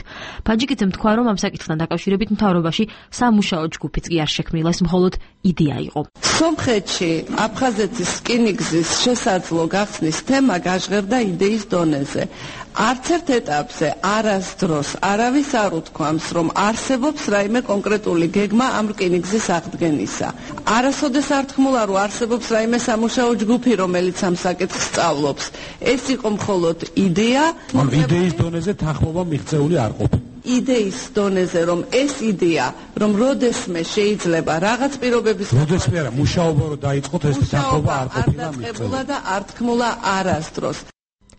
ფანჯიკიძემ თქვა, რომ ამ საკითხთან დაკავშირებით მთავრობაში სამუშაო ჯგუფიც კი არ შექმნილა, ეს მხოლოდ იდეა იყო. სომხეთში აფხაზეთის რკინიგზის შესაძლო გახსნის თემა გაჟღერდა იდეის დონეზე. არც ერთ ეტაპზე არასდროს არავის არ უთქვამს, რომ არსებობს რაიმე კონკრეტული გეგმა ამ რკინიგზის აღდგენისა. არასოდეს არ თქმულა, რომ არსებობს რაიმე სამუშაო ჯგუფი, რომელიც ამ საკითხს სწავლობს. ეს იყო მხოლოდ იდეა. იდეის დონეზე თანხმობა მიღწეული არ ყოფილა. იდეის დონეზე, რომ ეს იდეა, რომ როდესმე შეიძლება რაღაც პირობების როდესმე არა, მუშაობა რო დაიწყოთ, ეს თანხმობა არ ყოფილა მიღწეული და არ თქმულა არასდროს.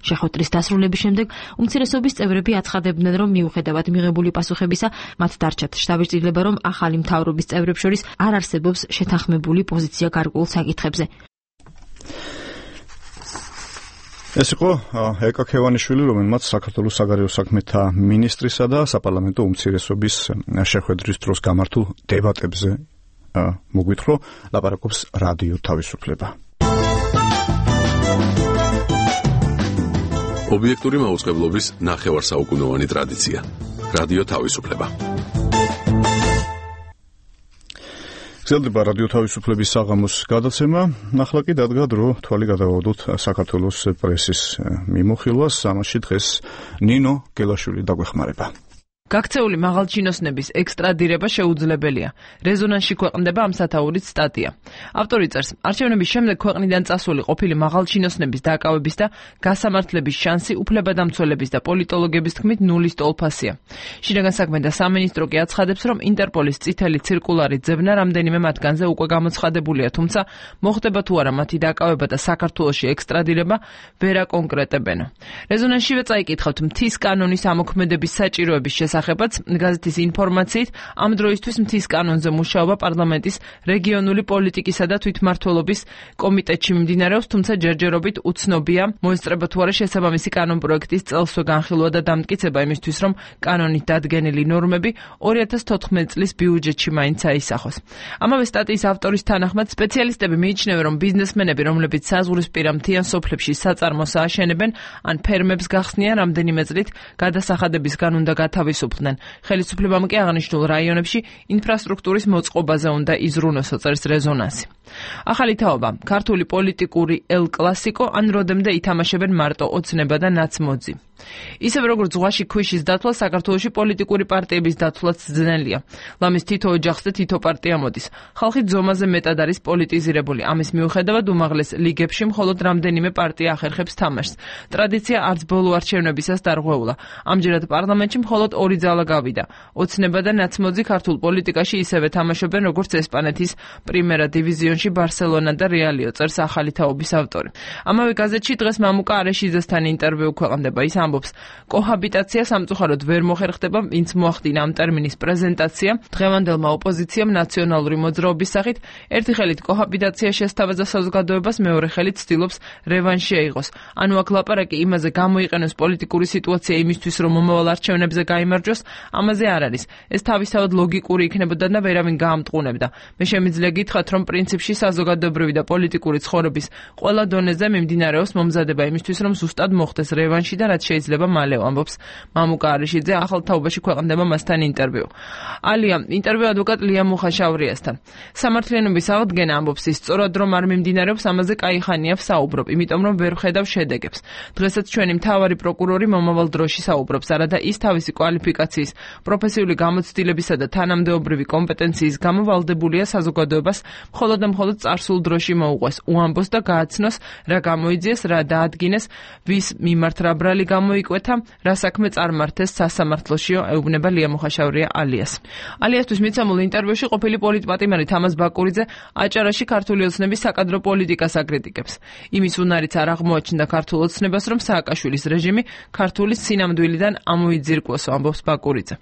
შეხვედრის დასრულების შემდეგ უმცირესობის წევრები აცხადებდნენ, რომ მიუხედავად მიღებული პასუხებისა, მათ დარჩათ შთაბეჭდილება, რომ ახალი მთავრობის წევრებს შორის არ არსებობს შეთანხმებული პოზიცია გარკვეულ საკითხებზე. ეს იყო ეკა ქევანიშვილი, რომელმაც საქართველოს საგარეო საქმეთა მინისტრისა და საპარლამენტო უმცირესობის შეხვედრის დროს გამართულ დებატებზე მოგვითხრა, ლაპარაკობს რადიო თავისუფლება. ობიექტური მაუწყებლობის ნახევარსაუკუნოვანი ტრადიცია. რადიო თავისუფლება. გრძელდება რადიო თავისუფლების საღამოს გადაცემა. ახლა კი დადგა დრო თვალი გადავავდოთ საქართველოს პრესის მიმოხილვას. ამაში დღეს ნინო გელაშვილი დაგვეხმარება. გაქცეული მაღალჩინოსნების ექსტრადირება შეუძლებელია. რეზონანსში ქვეყნდება ამ სათაურით სტატია. ავტორი წერს, არჩევნების შემდეგ ქვეყნიდან წასული ყოფილი მაღალჩინოსნების დაკავების და გასამართლების შანსი უფლებადამცველების და პოლიტოლოგების თქმით ნულის ტოლფასია. შინაგან საქმეთა სამინისტრო კი აცხადებს, რომ ინტერპოლის წითელი ცირკულარი ძებნა რამდენიმე მათგანზე უკვე გამოცხადებულია, თუმცა მოხდება თუ არა მათი დაკავება და საქართველოში ექსტრადირება ვერ აკონკრეტებენ. რეზონანსშივე წაიკითხავთ მთის კანონის ამოქმედების საჭიროების შესახებ. გაზეთის ინფორმაციით, ამ დროისთვის მთის კანონზე მუშაობა პარლამენტის რეგიონული პოლიტიკისა და თვითმმართველობის კომიტეტში მიმდინარეობს, თუმცა ჯერჯერობით უცნობია, მოესწრება თუ არა შესაბამისი კანონპროექტის წელსვე განხილვა და დამტკიცება იმისთვის, რომ კანონით დადგენილი ნორმები ორი ათას თოთხმეტი წლის ბიუჯეტში მაინც აისახოს. ამავე სტატიის ავტორის თანახმად, სპეციალისტები მიიჩნევენ, რომ ბიზნესმენები, რომლებიც საზღვრისპირა მთიან სოფლებში საწარმოს ააშენებენ, ან ფერმებს გახსნიან რამდენიმე წლით გადასახადებისგან უნდა გათავისუფლდნენ. ხელისუფლებამ კი აღნიშნულ რაიონებში ინფრასტრუქტურის მოწყობაზე უნდა იზრუნოსო, წერს რეზონანსი. ახალი თაობა, ქართული პოლიტიკური ელ კლასიკო, ან როდემდე ითამაშებენ მარტო ოცნება და ნაცმოძი. ისევ როგორც ზღვაში ქვიშის დათვლა, საქართველოში პოლიტიკური პარტიების დათვლაც ძნელია. ლამის თითო ოჯახს და თითო პარტია მოდის. ხალხი ძომაზე მეტად არის პოლიტიზირებული. ამის მიუხედავად უმაღლეს ლიგებში მხოლოდ რამდენიმე პარტია ახერხებს თამაშს. ტრადიცია არც ბოლო არჩევნებისას დარღვეულა. ამჯერად პარლამენტში მხოლოდ ორი ძალა გავიდა. ოცნება და ნაცმოძი ქართულ პოლიტიკაში ისევე თამაშობენ, როგორც ესპანეთის პრიმერა დივიზიონში ბარსელონა და რეალიო, წერს ახალი თაობის ავტორი. ამავე გაზეთში დღეს მამუკა არეშიძესთან ინტერვიუ ქვეყნდება. ის ამბობს, კოჰაბიტაცია სამწუხაროდ ვერ მოხერხდება, ვინც მოახდინა ამ ტერმინის პრეზენტაცია დღევანდელმა ოპოზიციამ ნაციონალური მოძრაობის სახით, ერთი ხელით კოჰაბიტაცია შესთავაზა საზოგადოებას, მეორე ხელით ცდილობს რევანში აიღოს. ანუ აქ ლაპარაკი იმაზე გამოიყენოს პოლიტიკური სიტუაცია იმისთვის, რომ მომავალ არჩევნებზე გაიმარჯვოს, ამაზე არ არის. ეს თავისთავად ლოგიკური იქნებოდა და ვერავინ გაამტყუნებდა. მე შემიძლია გითხრათ, რომ პრინციპში საზოგადოებრივი და პოლიტიკური ცხოვრების ყველა დონეზე მიმდინარეობს მომზადება იმისთვის, რომ ზუსტად მოხდეს რევანში და რაც შეიძლება მალე, ამბობს მამუკა არიშიძე, ახალ თაობაში ქვეყნდება მასთან ინტერვიუ. ალია ინტერვიუ ადვოკატ ლია მუხაშავრიასთან. სამართლიანობის აღდგენა, ამბობს ის, სწორად რომ არ მიმდინარეობს, ამაზე კაიხანია საუბრობ, იმიტომ რომ ვერ ვხედავ შედეგებს. დღესაც ჩვენი მთავარი პროკურორი მომავალ დროში საუბრობს, არადა ის თავისი კვალიფიკაციის, პროფესიული გამოცდილებისა და თანამდებობრივი კომპეტენციის გამო ვალდებულია საზოგადოებას მხოლოდ და მხოლოდ წარსულ დროში მოუყვეს, უამბოს და გააცნოს, რა გამოიძიეს, რა დაადგინეს, ვის მიმართ რა ბრალი გამოიკვეთა, რა საქმე წარმართეს სასამართლოშიო, ეუბნება ლია მუხაშავრია ალიას. ალიასთვის მიცემულ ინტერვიუში ყოფილი პოლიტპატიმარი თამაზ ბაკურიძე აჭარაში ქართული ოცნების საკადრო პოლიტიკას აკრიტიკებს. იმის უნარიც არ აღმოაჩნდა ქართულ ოცნებას, რომ სააკაშვილის რეჟიმი ქართული სინამდვილიდან ამოიძირკვოს, ამბობს ბაკურიძე.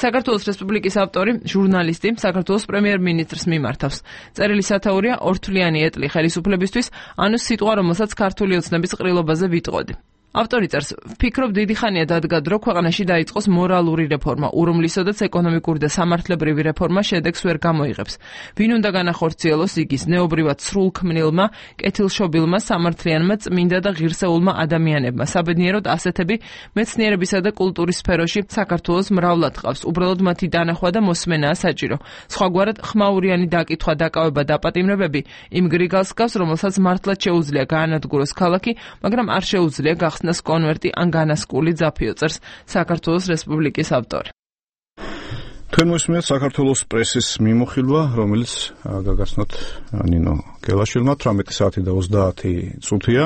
საქართველოს რესპუბლიკის ავტორი, ჟურნალისტი, საქართველოს პრემიერ-მინისტრს მიმართავს. წერილი სათაურია ორთვლიანი ეტლი ხელისუფლებისთვის, ანუ სიტყვა, რომელსაც ქართული ოცნების ყრილობაზე ვიტყოდი. ავტორი წერს, ვფიქრობ, დიდი ხანია დადგა დრო ქვეყანაში დაიწყოს მორალური რეფორმა, ურუმლისოდაც ეკონომიკური და სამართლებრივი რეფორმა შედეგს ვერ გამოიღებს. ვინ უნდა განახორციელოს იგის ნეობრივად სრულქმნილმა, კეთილშობილმა, სამართლიანმა, წმინდა და ღირსეულმა ადამიანებმა. საბედნიეროდ ასეთები მეცნიერებისა და კულტურის სფეროში საქართველოს მრავლად ყავს. უბრალოდ მათი დანახვა და მოსმენაა საჭირო. სხვაგვარად ხმაურიანი დაკითხვა, დაკავება, დაპატიმრებები იმ გრიგალს გავს, რომელსაც მართლაც შეუძლია გაანადგუროს ქალაქი, მაგრამ არ შეუძლია გახსნას კონვერტი ან განასკული ძაფიო, წერს საქართველოს რესპუბლიკის ავტორი. თქვენ მოსმენთ საქართველოს პრესის მიმოხილვა, რომელიც გაგაცნოთ ნინო გელაშვილმა თვრამეტი საათი და ოცდაათი წუთია.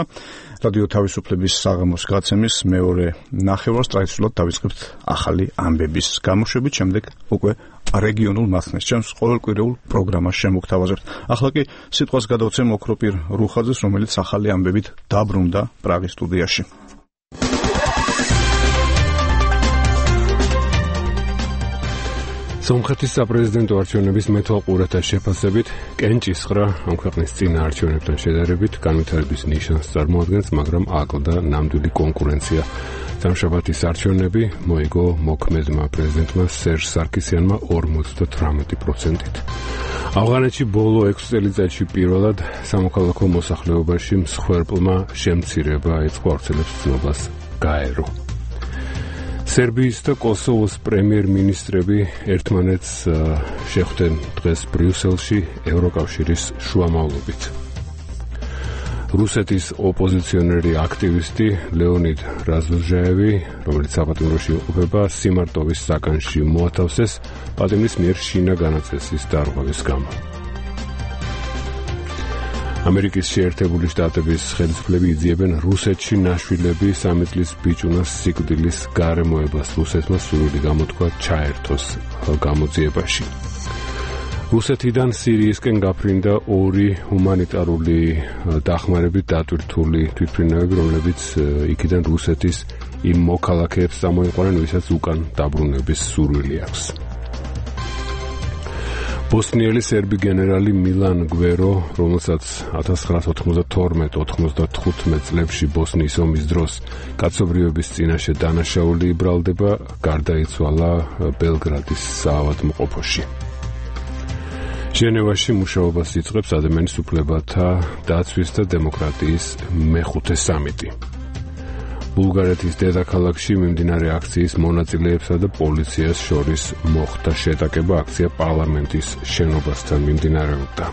რადიო თავისუფლების საღამოს გაცემის მეორე ნახევარს ტრადიციულად დავიწყებთ ახალი ამბების გამოშვებით, შემდეგ უკვე რეგიონულ მათნეს. ჩემს ყოველკვირეულ პროგრამას შემოგთავაზებთ. ახლა კი სიტყვას გადავცემ ოქროპირ რუხაძეს, რომელიც ახალი ამბებით დაბრუნდა პრაღის სტუდიაში. სომხეთის საპრეზიდენტო არჩევნების მეთვალყურეთა შეფასებით კენჭისყრა ამ ქვეყნის წინა არჩევნებთან შედარებით განვითარების ნიშანს წარმოადგენს, მაგრამ აკლდა ნამდვილი კონკურენცია. სამშაბათის არჩევნები მოიგო მოქმედმა პრეზიდენტმა სერჟ სარკისიანმა ორმოცდათვრამეტი პროცენტით. ავღანეთში ბოლო ექვსი წელიწადში პირველად სამოქალაქო მოსახლეობაში მსხვერპლმა შემცირება ეწყო ავრცელებს ცნობას გაერო. სერბიის და კოსოვოს პრემიერ-მინისტრები ერთმანეთს შეხვდნენ დღეს ბრიუსელში ევროკავშირის შუამავლობით. რუსეთის ოპოზიციონერი აქტივისტი ლეონიდ რაზუჟაევი, რომელიც საპატიმროში იმყოფება, სიმარტოვის საკანში მოათავსეს პატიმრის მიერ შინა განაწესის დარღვევის გამო. ამერიკის შეერთებული შტატების ხელისუფლები იძიებენ რუსეთში ნაშვილები სამი წლის ბიჭუნას სიკვდილის გარემოებას რუსეთმა სურვილი გამოთქვა ჩაერთოს გამოძიებაში. რუსეთიდან სირიისკენ გაფრინდა ორი ჰუმანიტარული დახმარებით დატვირთული თვითმფრინავები, რომლებიც იქიდან რუსეთის იმ მოქალაქეებს წამოიყვანენ, ვისაც უკან დაბრუნების სურვილი აქვს. ბოსნიელი სერბი გენერალი მილან გვერო, რომელსაც ათას ცხრაასი ოთხმოცდათორმეტ ოთხმოცდათხუთმეტ წლებში ბოსნიის ომის დროს კაცობრიობის წინაშე დანაშაული იბრალდება, გარდაიცვალა ბელგრადის საავადმყოფოში. ჟენევაში მუშაობას იწყებს ადამიანის უფლებათა დაცვის და დემოკრატიის მეხუთე სამიტი. ბულგარეთის დედაქალაქში მიმდინარე აქციის მონაწილეებსა და პოლიციას შორის მოხდა შეტაკება, აქცია პარლამენტის შენობასთან მიმდინარეობდა.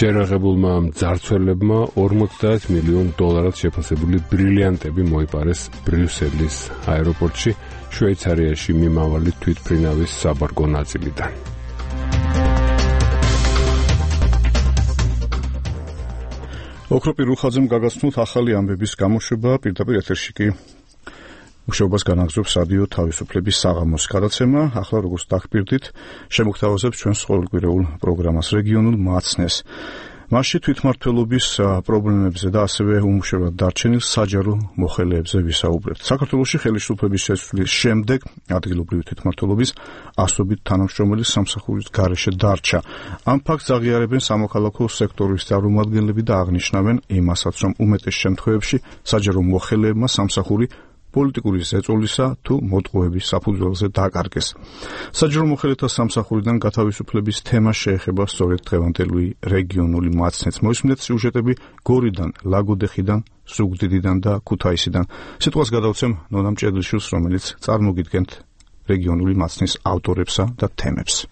შეერაღებულმა მძარცველებმა ორმოცდაათ მილიონ დოლარად შეფასებული ბრილიანტები მოიპარეს ბრიუსელის აეროპორტში, შვეიცარიაში მიმავალი თვითმფრინავის საბარგო ნაწილიდან. ოქროპირ რუხაძემ გაგაცნოთ ახალი ამბების გამოშვება, პირდაპირ ეთერში კი მუშაობას განაგრძობს რადიო თავისუფლების საღამოს გადაცემა. ახლა როგორც დაგპირდით, შემოგთავაზებთ ჩვენს ყოველკვირეულ პროგრამას რეგიონულ მაცნეს. მასში თვითმმართველობის პრობლემებზე და ასევე უმუშევრად დარჩენილ საჯარო მოხელეებზე ვისაუბრებთ. საქართველოში ხელისუფლების შესვლის შემდეგ ადგილობრივი თვითმმართველობის ასობით თანამშრომელი სამსახურის გარეშე დარჩა. ამ ფაქტს აღიარებენ სამოქალაქო სექტორის წარმომადგენლები და აღნიშნავენ იმასაც, რომ უმეტეს შემთხვევებში საჯარო მოხელეებმა სამსახური პოლიტიკური ზეწოლისა თუ მოტყუების საფუძველზე დაკარგეს. საჯარო მოხელეთა სამსახურიდან გათავისუფლების თემა შეეხება სწორედ დღევანდელი რეგიონული მაცნეც. მოისმინეთ სიუჟეტები გორიდან, ლაგოდეხიდან, სუგდიდიდან და ქუთაისიდან. სიტყვას გადავცემ ნონა მჭედლიშვილს, რომელიც წარმოგიდგენთ რეგიონული მაცნის ავტორებსა და თემებს.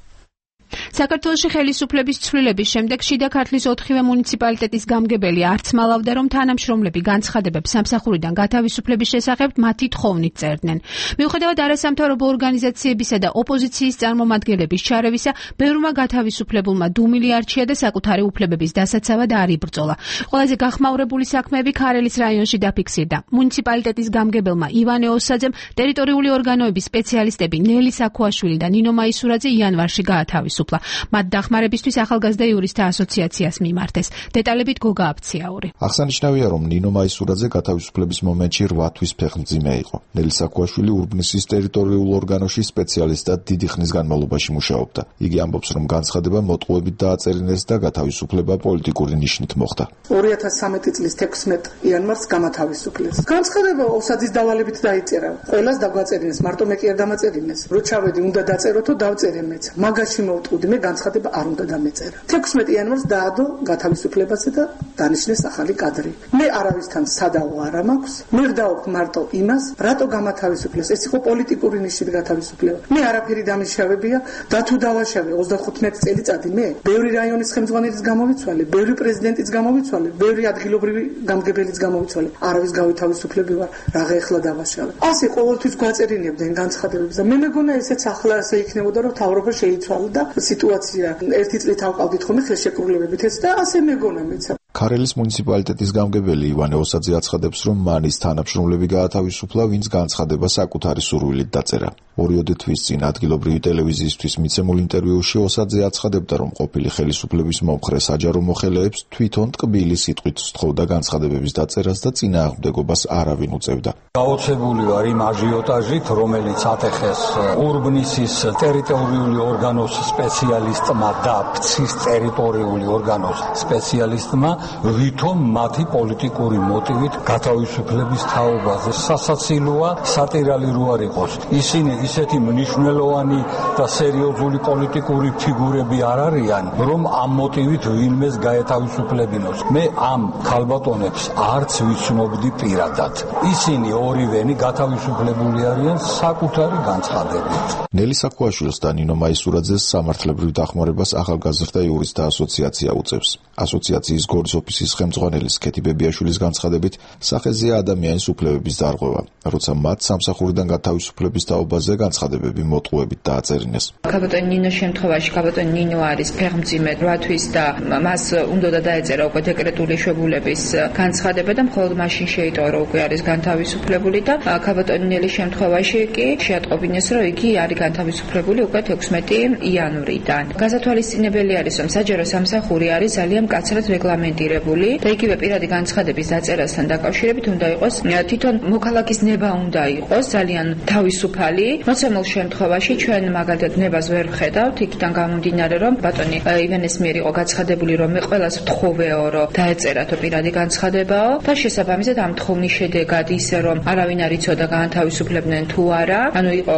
საქართველოში ხელისუფლების ცვლილების შემდეგ შიდა ქართლის ოთხივე მუნიციპალიტეტის გამგებელი არც მალავდა, რომ თანამშრომლები განცხადებებს სამსახურიდან გათავისუფლების შესახებ მათი თხოვნით წერდნენ. მიუხედავად არასამთავრობო ორგანიზაციებისა და ოპოზიციის წარმომადგენლების ჩარევისა, ბევრმა გათავისუფლებულმა დუმილი არჩია და საკუთარი უფლებების დასაცავად არ იბრძოლა. ყველაზე გახმაურებული საქმეები ქარელის რაიონში დაფიქსირდა. მუნიციპალიტეტის გამგებელმა ივანე ოსაძემ ტერიტორიული ორგანოების სპეციალისტები ნელი საქუაშვილი და ნინო მაისურაძე იანვარში გაათავისუფლეს. მათ დახმარებისთვის ახალგაზრდა იურისტთა ასოციაციას მიმართეს. დეტალებით გოგა აფციაური. აღსანიშნავია, რომ ნინო მაისურაძე გათავისუფლების მომენტში რვა თვის ფეხმძიმე იყო. ნელი საქუაშვილი ურბნისის ტერიტორიულ ორგანოში სპეციალისტად დიდი ხნის განმავლობაში მუშაობდა. იგი ამბობს, რომ განცხადება მოტყუებით დააწერინეს და გათავისუფლება პოლიტიკური ნიშნით მოხდა. ორი ათას სამეტი წლის თექვსმეტ იანვარს გამათავისუფლეს. განცხადება ოსაძის დავალებით დაიწერა. ყველას დაგვაწერინეს, მარტო მე კი არ დამაწერინეს. რო ჩავედი, უნდა დაწეროთო, დავწერე მეც. მაგაში მოვტყუდი, მე განცხადება არ უნდა დამეწერა. თექვსმეტ იანვარს დაადო გათავისუფლებაზე და დანიშნეს ახალი კადრი. მე არავისთან სადავო არ მაქვს. მე ვდაობ მარტო იმას, რატო გამათავისუფლეს. ეს იყო პოლიტიკური ნიშნით გათავისუფლება. მე არაფერი დამიშავებია და თუ დავაშავე ოცდახუთმეტი წელიწადი მე ბევრი რაიონის ხელმძღვანელის გამოვიცვალე, ბევრი პრეზიდენტის გამოვიცვალე, ბევრი ადგილობრივი გამგებელის გამოვიცვალე. არავის გავითავისუფლები ვარ, რაღა ეხლა დავაშავე. ასე ყოველთვის გვაწერინებდნენ განცხადებებს და მე მეგონა ესეც ახლა ასე იქნებოდა, რომ თავრობა შეიცვალა და სიტუაცია ერთი წლით ავყავდით ხოლმე ხელშეკრულებებითაც და ასე მეგონა მეცა. ქარელის მუნიციპალიტეტის გამგებელი ივანე ოსაძე აცხადებს, რომ მანის თანამშრომლები გაათავისუფლა, ვინც განცხადება საკუთარი სურვილით დაწერა. ორიოდე თვის წინ ადგილობრივი ტელევიზიისთვის მიცემულ ინტერვიუში ოსაძე აცხადებდა, რომ ყოფილი ხელისუფლების მომხრე საჯარო მოხელეებს თვითონ ტკბილი სიტყვით სთხოვდა განცხადებების დაწერას და წინააღმდეგობას არავინ უწევდა. გაოცებული ვარ იმ აჟიოტაჟით, რომელიც ატეხეს ურბნისის ტერიტორიული ორგანოს სპეციალისტმა და ფცის ტერიტორიული ორგანოს სპეციალისტმა, ვითომ მათი პოლიტიკური მოტივით გათავისუფლების თაობაზე. სასაცილოა, სატირალი რო არ იყოს. ისინი ისეთი მნიშვნელოვანი და სერიოზული პოლიტიკური ფიგურები არ არიან, რომ ამ მოტივით ვინმეს გაეთავისუფლებინოს. მე ამ ქალბატონებს არც ვიცნობდი პირადად. ისინი ორივენი გათავისუფლებული არიან საკუთარი განცხადებით. ნელი საქუაშვილს და ნინო მაისურაძეს სამართლებრივ დახმარებას ახალგაზრდა იურისტთა ასოციაცია უწევს. ასოციაციის გორის ოფისის ხელმძღვანელის ქეთი ბებიაშვილის განცხადებით, სახეზეა ადამიანის უფლებების დარღვევა, როცა მათ სამსახურიდან გათავისუფლების თაობაზე განცხადებები მოტყუებით დააწერინეს. ქალბატონ ნინოს შემთხვევაში ქალბატონ ნინო არის ფეხმძიმე რვა თვის და მას უნდა დაეწერა უკვე დეკრეტული შვებულების განცხადება და მხოლოდ მაშინ შეიტოვა, რომ უკვე არის განთავისუფლებული და ქალბატონ ნინელის შემთხვევაში კი შეატყობინეს, რომ იგი არის განთავისუფლებული უკვე თექვსმეტი იანვრიდან. გასათვალისწინებელი არის, რომ საჯარო სამსახური არის ძალიან მკაცრად რეგლამენტირებული და იგივე პირადი განცხადების დაწერასთან დაკავშირებით უნდა იყოს თვითონ მოქალაქის ნება უნდა იყოს ძალიან თავისუფალი. მოცემულ შემთხვევაში ჩვენ მაგალითად ნებას ვერ ვხედავთ, იქიდან გამომდინარე, რომ ბატონი ივანეს მიერ იყო გაცხადებული, რომ მე ყველას ვთხოვეო, რომ დაეწერათო პირადი განცხადებაო და შესაბამისად ამ თხოვნის შედეგად ისე რომ არავინ არ იცოდა გაანთავისუფლებდნენ თუ არა, ანუ იყო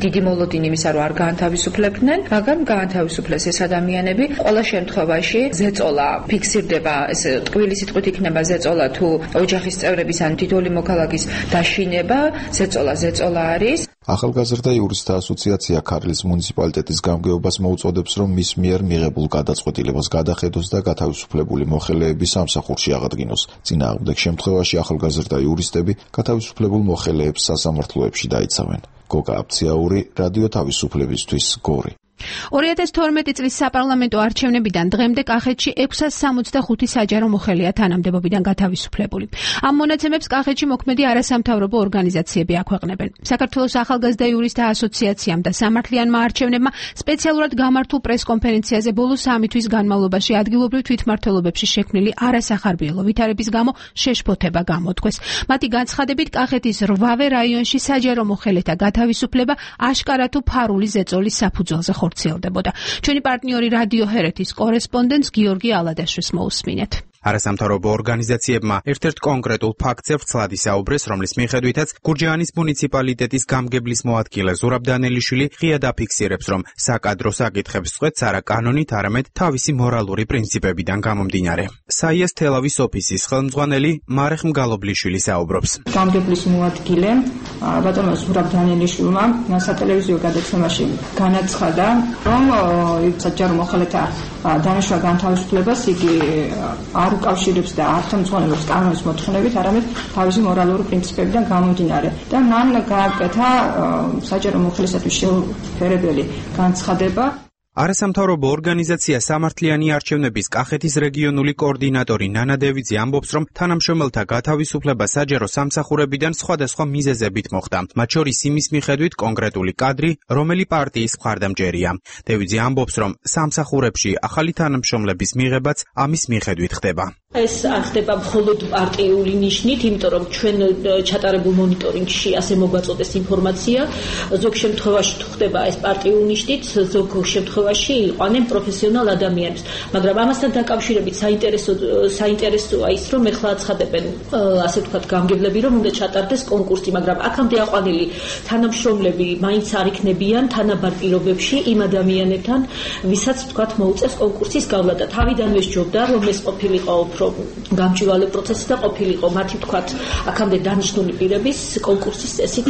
დიდი მოლოდინი იმისა, რომ არ გაანთავისუფლებდნენ, მაგრამ გაანთავისუფლეს ეს ადამიანები. ყველა შემთხვევაში ზეწოლა ფიქსირდება, ეს ტყუილი სიტყვით იქნება ზეწოლა თუ ოჯახის წევრების ან თითოეული მოქალაქის დაშინება, ზეწოლა ზეწოლა არის. ახალგაზრდა იურისტთა ასოციაცია ქართლის მუნიციპალიტეტის გამგეობას მოუწოდებს, რომ მის მიერ მიღებულ გადაწყვეტილებას გადახედოს და გათავისუფლებული მოხელეები სამსახურში აღადგინოს. წინააღმდეგ შემთხვევაში ახალგაზრდა იურისტები გათავისუფლებულ მოხელეებს სასამართლოებში დაიცავენ. გოგა აფციაური, რადიო თავისუფლებისთვის, გორი. ორი ათას თორმეტი წლის საპარლამენტო არჩევნებიდან დღემდე კახეთში ექვსას სამოცდახუთი საჯარო მოხელეა თანამდებობიდან გათავისუფლებული. ამ მონაცემებს კახეთში მოქმედი არასამთავრობო ორგანიზაციები აქვეყნებენ. საქართველოს ახალგაზრდა იურისტთა ასოციაციამ და სამართლიანმა არჩევნებმა სპეციალურად გამართულ პრესკონფერენციაზე ბოლო სამი თვის განმავლობაში ადგილობრივ თვითმმართველობებში შექმნილი არასახარბიელო ვითარების გამო შეშფოთება გამოთქვეს. მათი განცხადებით, კახეთის რვავე რაიონში საჯარო მოხელეთა გათავისუფლება აშკარა თუ ფარული ზეწოლის საფუძველზე ხორციელდებოდა. ჩვენი პარტნიორი რადიო ჰერეთის კორესპონდენტს გიორგი ალადაშვილს მოусმინეთ. არასამთავრობო ორგანიზაციებმა ერთ-ერთ კონკრეტულ ფაქტზე ვრცლად ისაუბრეს, რომლის მიხედვითაც გურჯაანის მუნიციპალიტეტის გამგებლის მოადგილე ზურაბ დანელიშვილი ღიად აფიქსირებს, რომ საკადრო საკითხებს წყვეტს არა კანონით, არამედ თავისი მორალური პრინციპებიდან გამომდინარე. საიას თელავის ოფისის ხელმძღვანელი მარეხ მგალობლიშვილი საუბრობს. გამგებლის მოადგილე ბატონმა ზურაბ დანელიშვილმა სატელევიზიო გადაცემაში განაცხადა, რომ საჯარო მოხელეთა დანიშნულ განთავისუფლებას იგი არ უკავშირებს და არ თამძღვანელობს კანონის მოთხოვნებით, არამედ თავისი მორალური პრინციპებიდან გამომდინარე. და მან გააკეთა საჯარო მოხელისათვის შეუფერებელი განცხადება. არასამთავრობო ორგანიზაცია სამართლიანი არჩევნების კახეთის რეგიონული კოორდინატორი ნანა დევიძე ამბობს, რომ თანამშრომელთა გათავისუფლება საჯარო სამსახურებიდან სხვადასხვა მიზეზებით მოხდა. მათ შორის იმის მიხედვით კონკრეტული კადრი, რომელი პარტიის მხარდამჭერია. დევიძე ამბობს, რომ სამსახურებში ახალი თანამშრომლების მიღებაც ამის მიხედვით ხდება. ეს არ ხდება მხოლოდ პარტიული ნიშნით, იმიტომ რომ ჩვენ ჩატარებულ მონიტორინგში ასე მოგვაწოდეს ინფორმაცია, ზოგ შემთხვევაში თუ ხდება ეს პარტიულ ნიშნით, ზოგ შემთხვევაში იყვნენ პროფესიონალ ადამიანებს, მაგრამ ამასთან დაკავშირებით საინტერესო საინტერესოა ის, რომ ეხლა აცხადებენ, ასე ვთქვათ, გამგებლები, რომ უნდა ჩატარდეს კონკურსი, მაგრამ აქამდე აყვანილი თანამშრომლები მაინც არ იქნებიან თანაბარ პირობებში იმ ადამიანებთან, ვისაც ვთქვათ მოუწევს კონკურსის გავლა და თავიდანვე სჯობდა, რომ ეს ყოფილიყო გამჭვირვალე პროცესი და ყოფილიყო მათი ვთქვათ აქამდე დანიშნული პირების კონკურსის წესით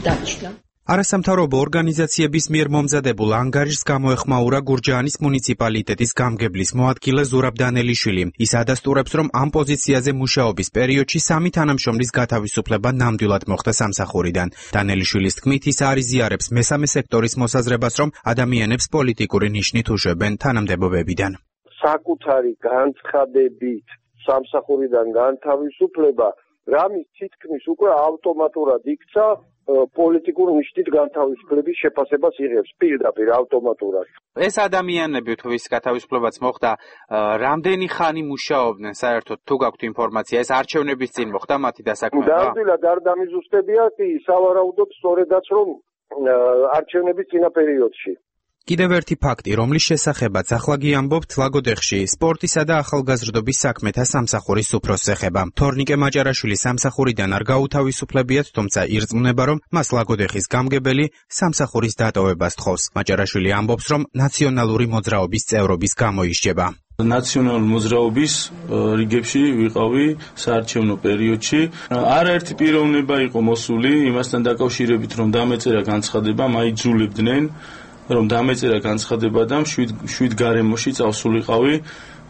დანიშნა. არასამთავრობო ორგანიზაციების მიერ მომზადებულ ანგარიშს გამოეხმაურა გურჯაანის მუნიციპალიტეტის გამგებლის მოადგილე ზურაბ დანელიშვილი. ის ადასტურებს, რომ ამ პოზიციაზე მუშაობის პერიოდში სამი თანამშრომლის გათავისუფლება ნამდვილად მოხდა სამსახურიდან. დანელიშვილის თქმით, ის არ იზიარებს მესამე სექტორის მოსაზრებას, რომ ადამიანებს პოლიტიკური ნიშნით უშვებენ თანამდებობებიდან. საკუთარი განცხადებით სამსახურიდან განთავისუფლება რამის თითქმის უკვე ავტომატურად იქცა პოლიტიკურ ნიშნით განთავისუფლების შეფასებას იღებს პირდაპირ ავტომატურად. ეს ადამიანები თუ ვის გათავისუფლებაც მოხდა, რამდენი ხანი მუშაობდნენ საერთოდ თუ გაქვთ ინფორმაცია, ეს არჩევნების წინ მოხდა მათი დასაქმება? ნამდვილად არ დამიზუსტებია, კი სავარაუდოდ სწორედაც რომ არჩევნების წინა პერიოდში. კიდევ ერთი ფაქტი, რომლის შესახებაც ახლა გიამბობთ, ლაგოდეხში სპორტისა და ახალგაზრდობის საქმეთა სამსახურის უფროსს ეხება. თორნიკე მაჭარაშვილი სამსახურიდან არ გაუთავისუფლებიათ, თუმცა ირწმუნება, რომ მას ლაგოდეხის გამგებელი სამსახურის დატოვებას თხოვს. მაჭარაშვილი ამბობს, რომ ნაციონალური მოძრაობის წევრობის გამო ისჯება. ნაციონალური მოძრაობის რიგებში ვიყავი საარჩევნო პერიოდში. არაერთი პიროვნება იყო მოსული იმასთან დაკავშირებით, რომ დამეწერა განცხადება, მაიძულებდნენ რომ დამეწერა განცხადება და შვიდ გარემოში წავსულიყავი,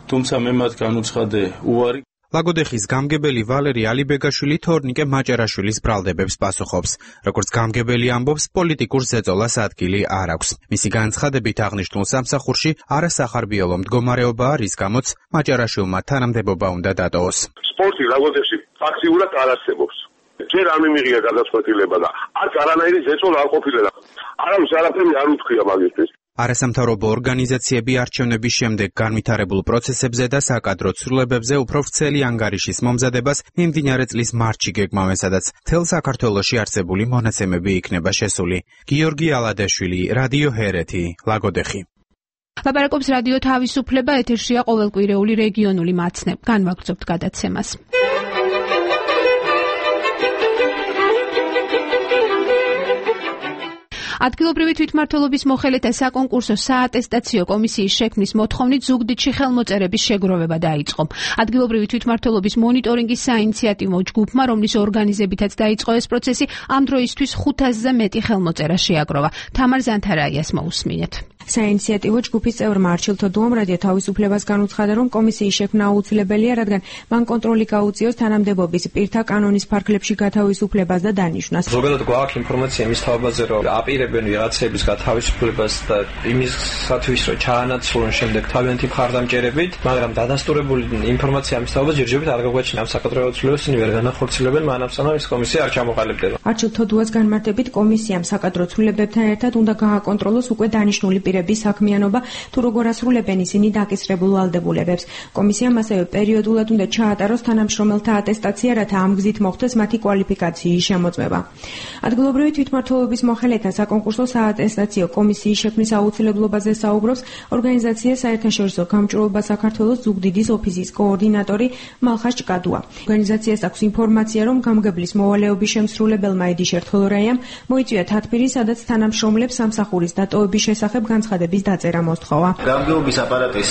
თუმცა მე მათ განუცხადე უარი. ლაგოდეხის გამგებელი ვალერი ალიბეგაშვილი თორნიკე მაჭარაშვილის ბრალდებებს პასუხობს. როგორც გამგებელი ამბობს, პოლიტიკურ ზეწოლას ადგილი არ აქვს. მისი განცხადებით აღნიშნულ სამსახურში არასახარბიელო მდგომარეობაა, რის გამოც მაჭარაშვილმა თანამდებობა უნდა დატოვოს. სპორტი ლაგოდეხში ფაქტიურად არ არსებობს. ჯერ არ მიმიღია გადაწყვეტილება და არც არანაირი ზეწოლა არ ყოფილა. არავის არაფერი არ უთქვია მაგისთვის. არასამთავრობო ორგანიზაციები არჩევნების შემდეგ განვითარებულ პროცესებზე და საკადრო ცვლილებებზე უფრო ვრცელი ანგარიშის მომზადებას მიმდინარე წლის მარტში გეგმავენ, სადაც მთელ საქართველოში არსებული მონაცემები იქნება შესული. გიორგი ალადაშვილი, რადიო ჰერეთი, ლაგოდეხი. ლაპარაკობს რადიო თავისუფლება, ეთერშია ყოველკვირეული რეგიონული მაცნე. განვაგრძობთ გადაცემას. ადგილობრივი თვითმმართველობის მოხელეთა საკონკურსო საატესტაციო კომისიის შექმნის მოთხოვნით ზუგდიდში ხელმოწერების შეგროვება დაიწყო. ადგილობრივი თვითმმართველობის მონიტორინგის საინიციატივო ჯგუფმა, რომლის ორგანიზებითაც დაიწყო ეს პროცესი, ამ დროისთვის ხუთასზე მეტი ხელმოწერა შეაგროვა. თამარ ზანთარაიას მოусმინეთ. საინიციატივო ჯგუფის წევრმა არჩილ თოდუამ რადიო თავისუფლებას განუცხადა, რომ კომისიის შექმნა აუცილებელია, რადგან მან კონტროლი გაუწიოს თანამდებობის პირთა კანონის ფარგლებში გათავისუფლებას და დანიშვნას. ზოგადად გვაქვს ინფორმაცია იმის თავაზე, რომ აპირებენ ვიღაცების გათავისუფლებას და იმისათვის, რომ ჩაანაცვლონ შემდეგ თავიანთი მხარდამჭერებით, მაგრამ დადასტურებული ინფორმაცია ამის თავაზე ჯერჯერობით არ გაგვაჩინა. ამ საკადრო ცვლილებებს ისინი ვერ განახორციელებენ, მანამ სანამ ეს კომისია არ ჩამოყალიბდება. არჩილ თოდუას განმარტებით, კომისიამ საკადრო ცვლილებებთან ერთად უნდა გააკონტროლოს უკვე დანიშნული პირების საქმიანობა თუ როგორ ასრულებენ ისინი დაკისრებულ ვალდებულებებს. კომისიამ ასევე პერიოდულად უნდა ჩაატაროს თანამშრომელთა ატესტაცია, რათა ამ გზით მოხდეს მათი კვალიფიკაციის შემოწმება. ადგილობრივი თვითმმართველობის მოხელეთა საკონკურსო საატესტაციო კომისიის შექმნის აუცილებლობაზე საუბრობს ორგანიზაცია საერთაშორისო გამჭვირვალობა საქართველოს ზუგდიდის ოფისის კოორდინატორი მალხას ჭკადუა. ორგანიზაციას აქვს ინფორმაცია, რომ გამგებლის მოვალეობის შემსრულებელმა edi შერთხელორაიამ მოიწვია თათბირი, სადაც თანამშრომლებს სამსახურის დატოვების შესახებ განცხადების დაწერა მოსთხოვა. გამგეობის აპარატის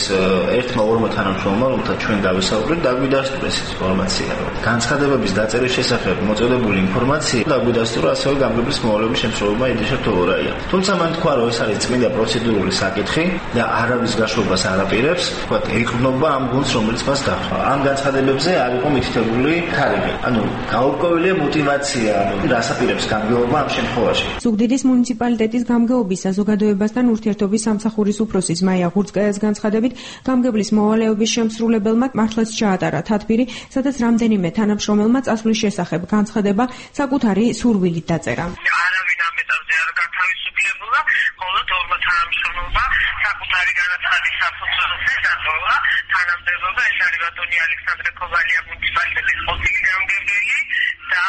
ერთმა ორმა თანამშრომლმა, რომელთა ჩვენ გავისაუბრეთ, დაგვიდასტურეს ინფორმაცია, რომ განცხადებების დაწერის შესახებ მოწოდებული ინფორმაცია დაგვიდასტურა ასევე გამგებლის მოვალეობის შემსრულებელმა edi შერთხელორაიამ. თუმცა მან თქვა, რომ ეს არის წმინდა პროცედურული საკითხი და არავის გაშვებას არ აპირებს, თქვა, ეყრდნობა ამ გუნდს, რომელიც მას დახვდა. ამ განცხადებებზე არ იყო მითითებული თარიღი. ანუ გაურკვევლია мотивация, ანუ რას აპირებს გამგეობა ამ შემთხვევაში. ზუგდიდის მუნიციპალიტეტის გამგეობის საზოგადოებასთან ურთიერთობის სამსახურის უფროსის მაია ღურწკაიას განცხადებით, გამგებლის მოვალეობის შემსრულებელმა მართლაც ჩაატარა თათბირი, სადაც რამდენიმე თანამშრომელმა წასვლის შესახებ განცხადება საკუთარი სურვილით დაწერა. არავინ ამ ეტაპზე არ გათავისუფლებულა, მხოლოდ ორმა თანამშრომელმა საკუთარი განაცხადის საფუძველზე დატოვა თანამდებობა. ეს არის ბატონი ალექსანდრე ქოვალია, მუნიციპალიტეტის ყოფილი გამგებელი და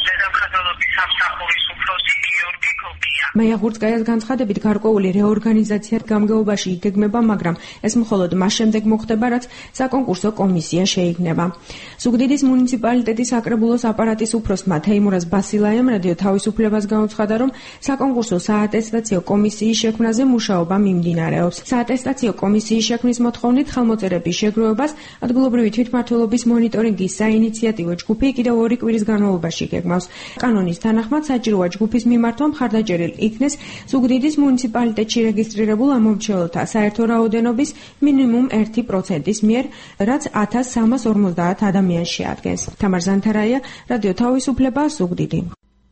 დედამხედველობის სამსახურის უფროსი გიორგი კოკია. მაია ღურწკაიას განცხადებით, გარკვეული რეორგანიზაცია გამგეობაში იგეგმება, მაგრამ ეს მხოლოდ მას შემდეგ მოხდება, რაც საკონკურსო კომისია შეიქმნება. ზუგდიდის მუნიციპალიტეტის საკრებულოს აპარატის უფროსმა თეიმურაზ ბასილაიამ რადიო თავისუფლებას განუცხადა, რომ საკონკურსო საატესტაციო კომისიის შექმნაზე მუშაობა მიმდინარეობს. საატესტაციო კომისიის შექმნის მოთხოვნით ხელმოწერების შეგროვებას ადგილობრივი თვითმმართველობის მონიტორინგის საინიციატივო ჯგუფი კიდევ ორი კვირის განმავლობაში გეგმავს. კანონის თანახმად საჭიროა ჯგუფის მიმართვა მხარდაჭერილ იქნეს ზუგდიდის მუნიციპალიტეტში რეგისტრირებულ ამომრჩეველთა საერთო რაოდენობის მინიმუმ ერთი პროცენტის მიერ, რაც ათას სამას ორმოცდაათ ადამიანს შეადგენს. თამარ ზანთარაია, რადიო თავისუფლება, ზუგდიდი.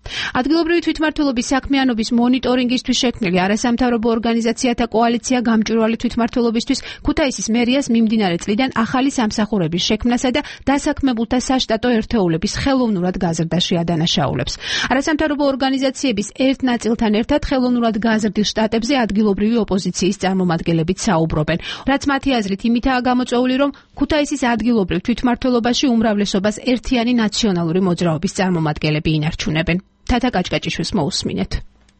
ადგილობრივი თვითმმართველობის საქმიანობის მონიტორინგისთვის შექმნილი არასამთავრობო ორგანიზაციათა კოალიცია გამჭვირვალე თვითმმართველობისთვის ქუთაისის მერიას მიმდინარე წლიდან ახალი სამსახურების შექმნასა და დასაქმებულთა საშტატო ერთეულების ხელოვნურად გაზრდაში ადანაშაულებს. არასამთავრობო ორგანიზაციების ერთ ნაწილთან ერთად ხელოვნურად გაზრდილ შტატებზე ადგილობრივი ოპოზიციის წარმომადგენლებიც საუბრობენ, რაც მათი აზრით იმითაა გამოწვეული, რომ ქუთაისის ადგილობრივ თვითმმართველობაში უმრავლესობას ერთიანი ნაციონალური მოძრაობის წარმომადგენლები ინარჩუნებენ. თათა კაჭკაჭიშვილს მოусმინეთ.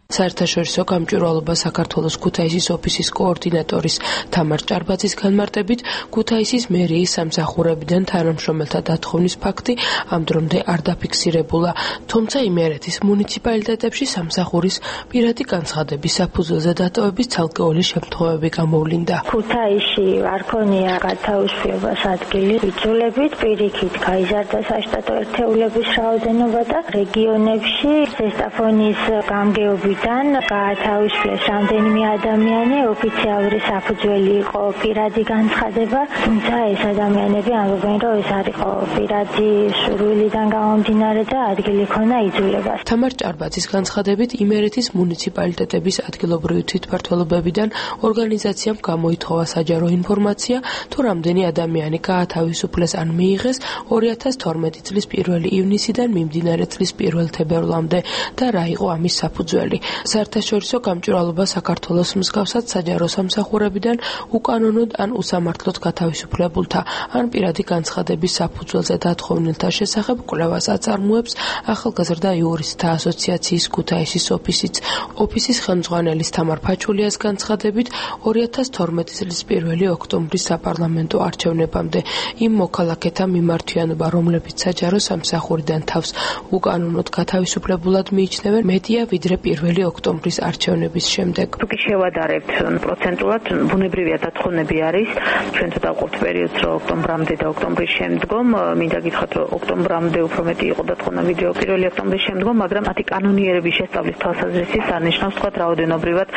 საერთაშორისო გამჭვირვალობა საქართველოს ქუთაისის ოფისის კოორდინატორის თამარ ჭარბაძის განმარტებით, ქუთაისის მერიის სამსახურებიდან თანამშრომელთა დათხოვნის ფაქტი ამ დრომდე არ დაფიქსირებულა, თუმცა იმერეთის მუნიციპალიტეტებში სამსახურის პირადი განცხადების საფუძველზე დატოვების ცალკეული შემთხვევები გამოვლინდა. ქუთაისში არ ქონია გათავისუფლებას ადგილი იძულებით, პირიქით გაიზარდა საშტატო ერთეულების რაოდენობა და რეგიონებში ზესტაფონის გამგეობის გაათავისუფლეს რამდენიმე ადამიანი, ოფიციალური საფუძველი იყო პირადი განცხადება, თუმცა ეს ადამიანები ამბობენ, რომ ეს არ იყო პირადი სურვილიდან გამომდინარე და ადგილი ქონა იძულებას. თამარ ჭარბაძის განცხადებით, იმერეთის მუნიციპალიტეტების ადგილობრივი თვითმმართველობებიდან ორგანიზაციამ გამოითხოვა საჯარო ინფორმაცია, თუ რამდენი ადამიანი გაათავისუფლეს ან მიიღეს ორი ათას თორმეტი წლის პირველი ივნისიდან მიმდინარე წლის პირველ თებერვლამდე და რა იყო ამის საფუძველი. საერთაშორისო გამჭვირვალობა საქართველოს მსგავსად საჯარო სამსახურებიდან უკანონოდ ან უსამართლოდ გათავისუფლებულთა ან პირადი განცხადების საფუძველზე დათხოვნილთა შესახებ კვლევას აწარმოებს ახალგაზრდა იურისტთა ასოციაციის ქუთაისის ოფისიც. ოფისის ხელმძღვანელის თამარ ფაჩულიას განცხადებით, ორი ათას თორმეტი წლის პირველი ოქტომბრის საპარლამენტო არჩევნებამდე იმ მოქალაქეთა მიმართვიანობა, რომლებიც საჯარო სამსახურიდან თავს უკანონოდ გათავისუფლებულად მიიჩნევენ, მეტია ვიდრე პირველი ოქტომბრის არჩევნების შემდეგ. თუკი შევადარებთ პროცენტულად, ბუნებრივია დათხოვნები არის. ჩვენ ცოტა ვყოფთ პერიოდს, რომ ოქტომბრამდე და ოქტომბრის შემდგომ, მინდა გითხრათ, რომ ოქტომბრამდე უფრო მეტი იყო დათხოვნა ვიდრე პირველი ოქტომბრის შემდგომ, მაგრამ მათი კანონიერების შესწავლის თვალსაზრისით არნიშნავს, თქვათ, რაოდენობრივად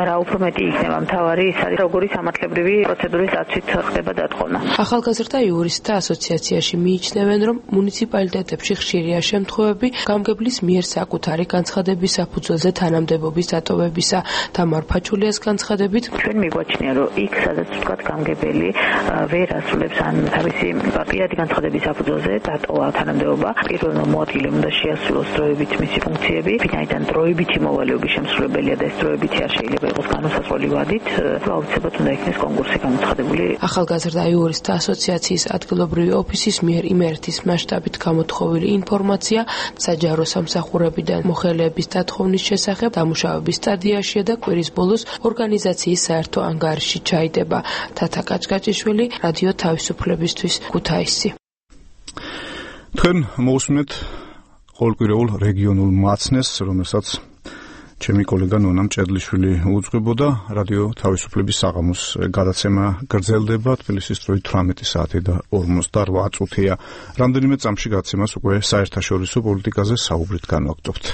რა უფრო მეტი იქნება. მთავარი ის არის, როგორი სამართლებრივი პროცედურის დაცვით ხდება დათხოვნა. ახალგაზრდა იურისტთა ასოციაციაში მიიჩნევენ, რომ მუნიციპალიტეტებში ხშირია შემთხვევები, გამგებლის მიერ საკუთარი განცხადების საფუძველზე თანამდებობის დატოვებისა. თამარ ფაჩულიას განცხადებით, ჩვენ მიგვაჩნია, რომ იქ სადაც ვთქვათ გამგებელი ვერ ასრულებს ან თავისი პირადი განცხადების საფუძველზე დატოვა თანამდებობა, პირველ მოადგილემ უნდა შეასრულოს დროებით მისი ფუნქციები, ვინაიდან დროებითი მოვალეობის შემსრულებელია და ეს დროებითი არ შეიძლება იყოს განუსაზღვრელი ვადით, აუცილებლად უნდა იქნეს კონკურსი გამოცხადებული. ახალგაზრდა იურისტთა ასოციაციის ადგილობრივი ოფისის მიერ იმერეთის მასშტაბით გამოთხოვილი ინფორმაცია საჯარო სამსახურებიდან მოხელეების დათხოვნის შესახებ დამუშავების სტადიაშია და კვირის ბოლოს ორგანიზაციის საერთო ანგარიში ჩაიდება. თათა კაჭკაჭიშვილი, რადიო თავისუფლებისთვის, ქუთაისი. თქვენ მოусმენთ ყოველკვირეულ რეგიონულ მაცნეს, რომელსაც ჩემი კოლეგა ნონა მჭედლიშვილი უძღვებოდა. რადიო თავისუფლების საღამოს გადაცემა გრძელდება. თბილისის დროით თვრამეტი საათი და ორმოცდაოთხ წუთია. რამდენიმე წამში გადაცემას უკვე საერთაშორისო პოლიტიკაზე საუბრით განვაგრძობთ.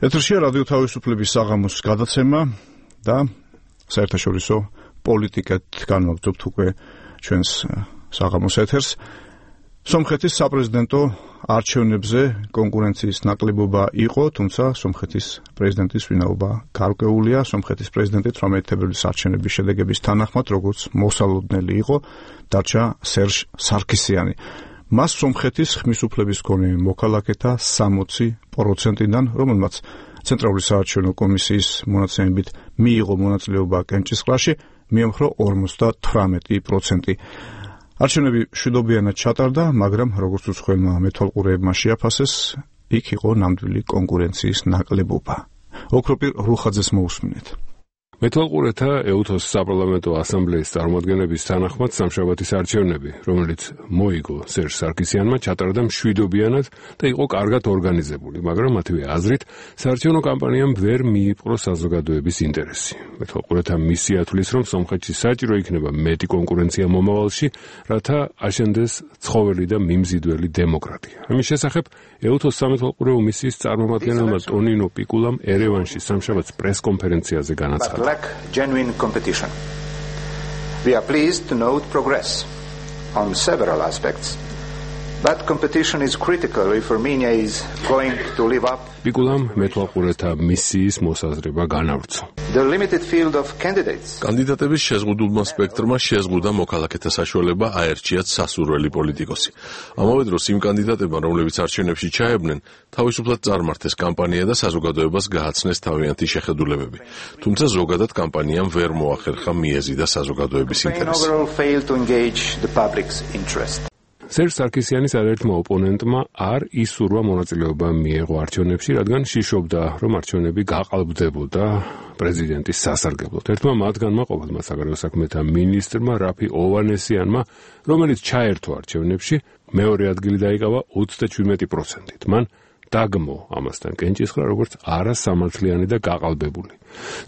ეთერშია რადიო თავისუფლების საღამოს გადაცემა და საერთაშორისო პოლიტიკად განვაგრძობთ უკვე ჩვენს საღამოს ეთერს. სომხეთის საპრეზიდენტო არჩევნებზე კონკურენციის ნაკლებობა იყო, თუმცა სომხეთის პრეზიდენტის ვინაობა გარკვეულია. სომხეთის პრეზიდენტი თვრამეტი თებერვლის არჩევნების შედეგების თანახმად, როგორც მოსალოდნელი იყო, დარჩა სერჟ სარქისიანი. მას სომხეთის ხმისუფლების მქონე მოქალაქეთა სამოცი პროცენტიდან, რომელმაც ცენტრალური საარჩევნო კომისიის მონაცემებით მიიღო მონაწილეობა კენჭისყრაში, მიემხრო ორმოცდათვრამეტი პროცენტი. არჩევნები მშვიდობიანად ჩატარდა, მაგრამ როგორც უცხოელმა მეთვალყურეებმა შეაფასეს, იქ იყო ნამდვილი კონკურენციის ნაკლებობა. ოქროპირ რუხაძეს მოусმინეთ. მეთვალყურეთა ეუთოს საპარლამენტო ასამბლეის წარმომადგენლების თანახმად სამშაბათის არჩევნები, რომელიც მოიგო სერჟ სარქისიანმა, ჩატარდა მშვიდობიანად და იყო კარგად ორგანიზებული, მაგრამ მათივე აზრით საარჩევნო კამპანიამ ვერ მიიპყრო საზოგადოების ინტერესი. მეთვალყურეთა მისია თვლის, რომ სომხეთში საჭირო იქნება მეტი კონკურენცია მომავალში, რათა აშენდეს ცხოველი და მიმზიდველი დემოკრატია. ამის შესახებ ეუთოს სამეთვალყურეო მისიის წარმომადგენელმა ტონინო პიკულამ ერევანში სამშაბათს პრესკონფერენციაზე განაცხადა. Genuine competition. We are pleased to note progress on several aspects, but competition is critical if Armenia is going to live up. პიკულამ მეთვალყურეთა მისიის მოსაზრება განავრცო. The limited field of candidates. კანდიდატების შეზღუდულმა სპექტრმა შეზღუდა მოქალაქეთა საშუალება აერჩიათ სასურველი პოლიტიკოსი. ამავე დროს იმ კანდიდატებმა, რომლებიც არჩევნებში ჩაებნენ, თავისუფლად წარმართეს კამპანია და საზოგადოებას გააცნეს თავიანთი შეხედულებები. თუმცა ზოგადად კამპანიამ ვერ მოახერხა მიეზი და საზოგადოების ინტერესი. სერჟ სარქისიანის არაერთმა ოპონენტმა არ ისურვა მონაწილეობა მიეღო არჩევნებში, რადგან შიშობდა, რომ არჩევნები გაყალბდებოდა პრეზიდენტის სასარგებლოდ. ერთმა მათგანმა, ყოფილმა საგარეო საქმეთა მინისტრმა რაფი ოვანესიანმა, რომელიც ჩაერთო არჩევნებში, მეორე ადგილი დაიკავა ოცდაჩვიდმეტი პროცენტით. მან დაგმო ამასთან კენჭისყრა, როგორც არასამართლიანი და გაყალბებული.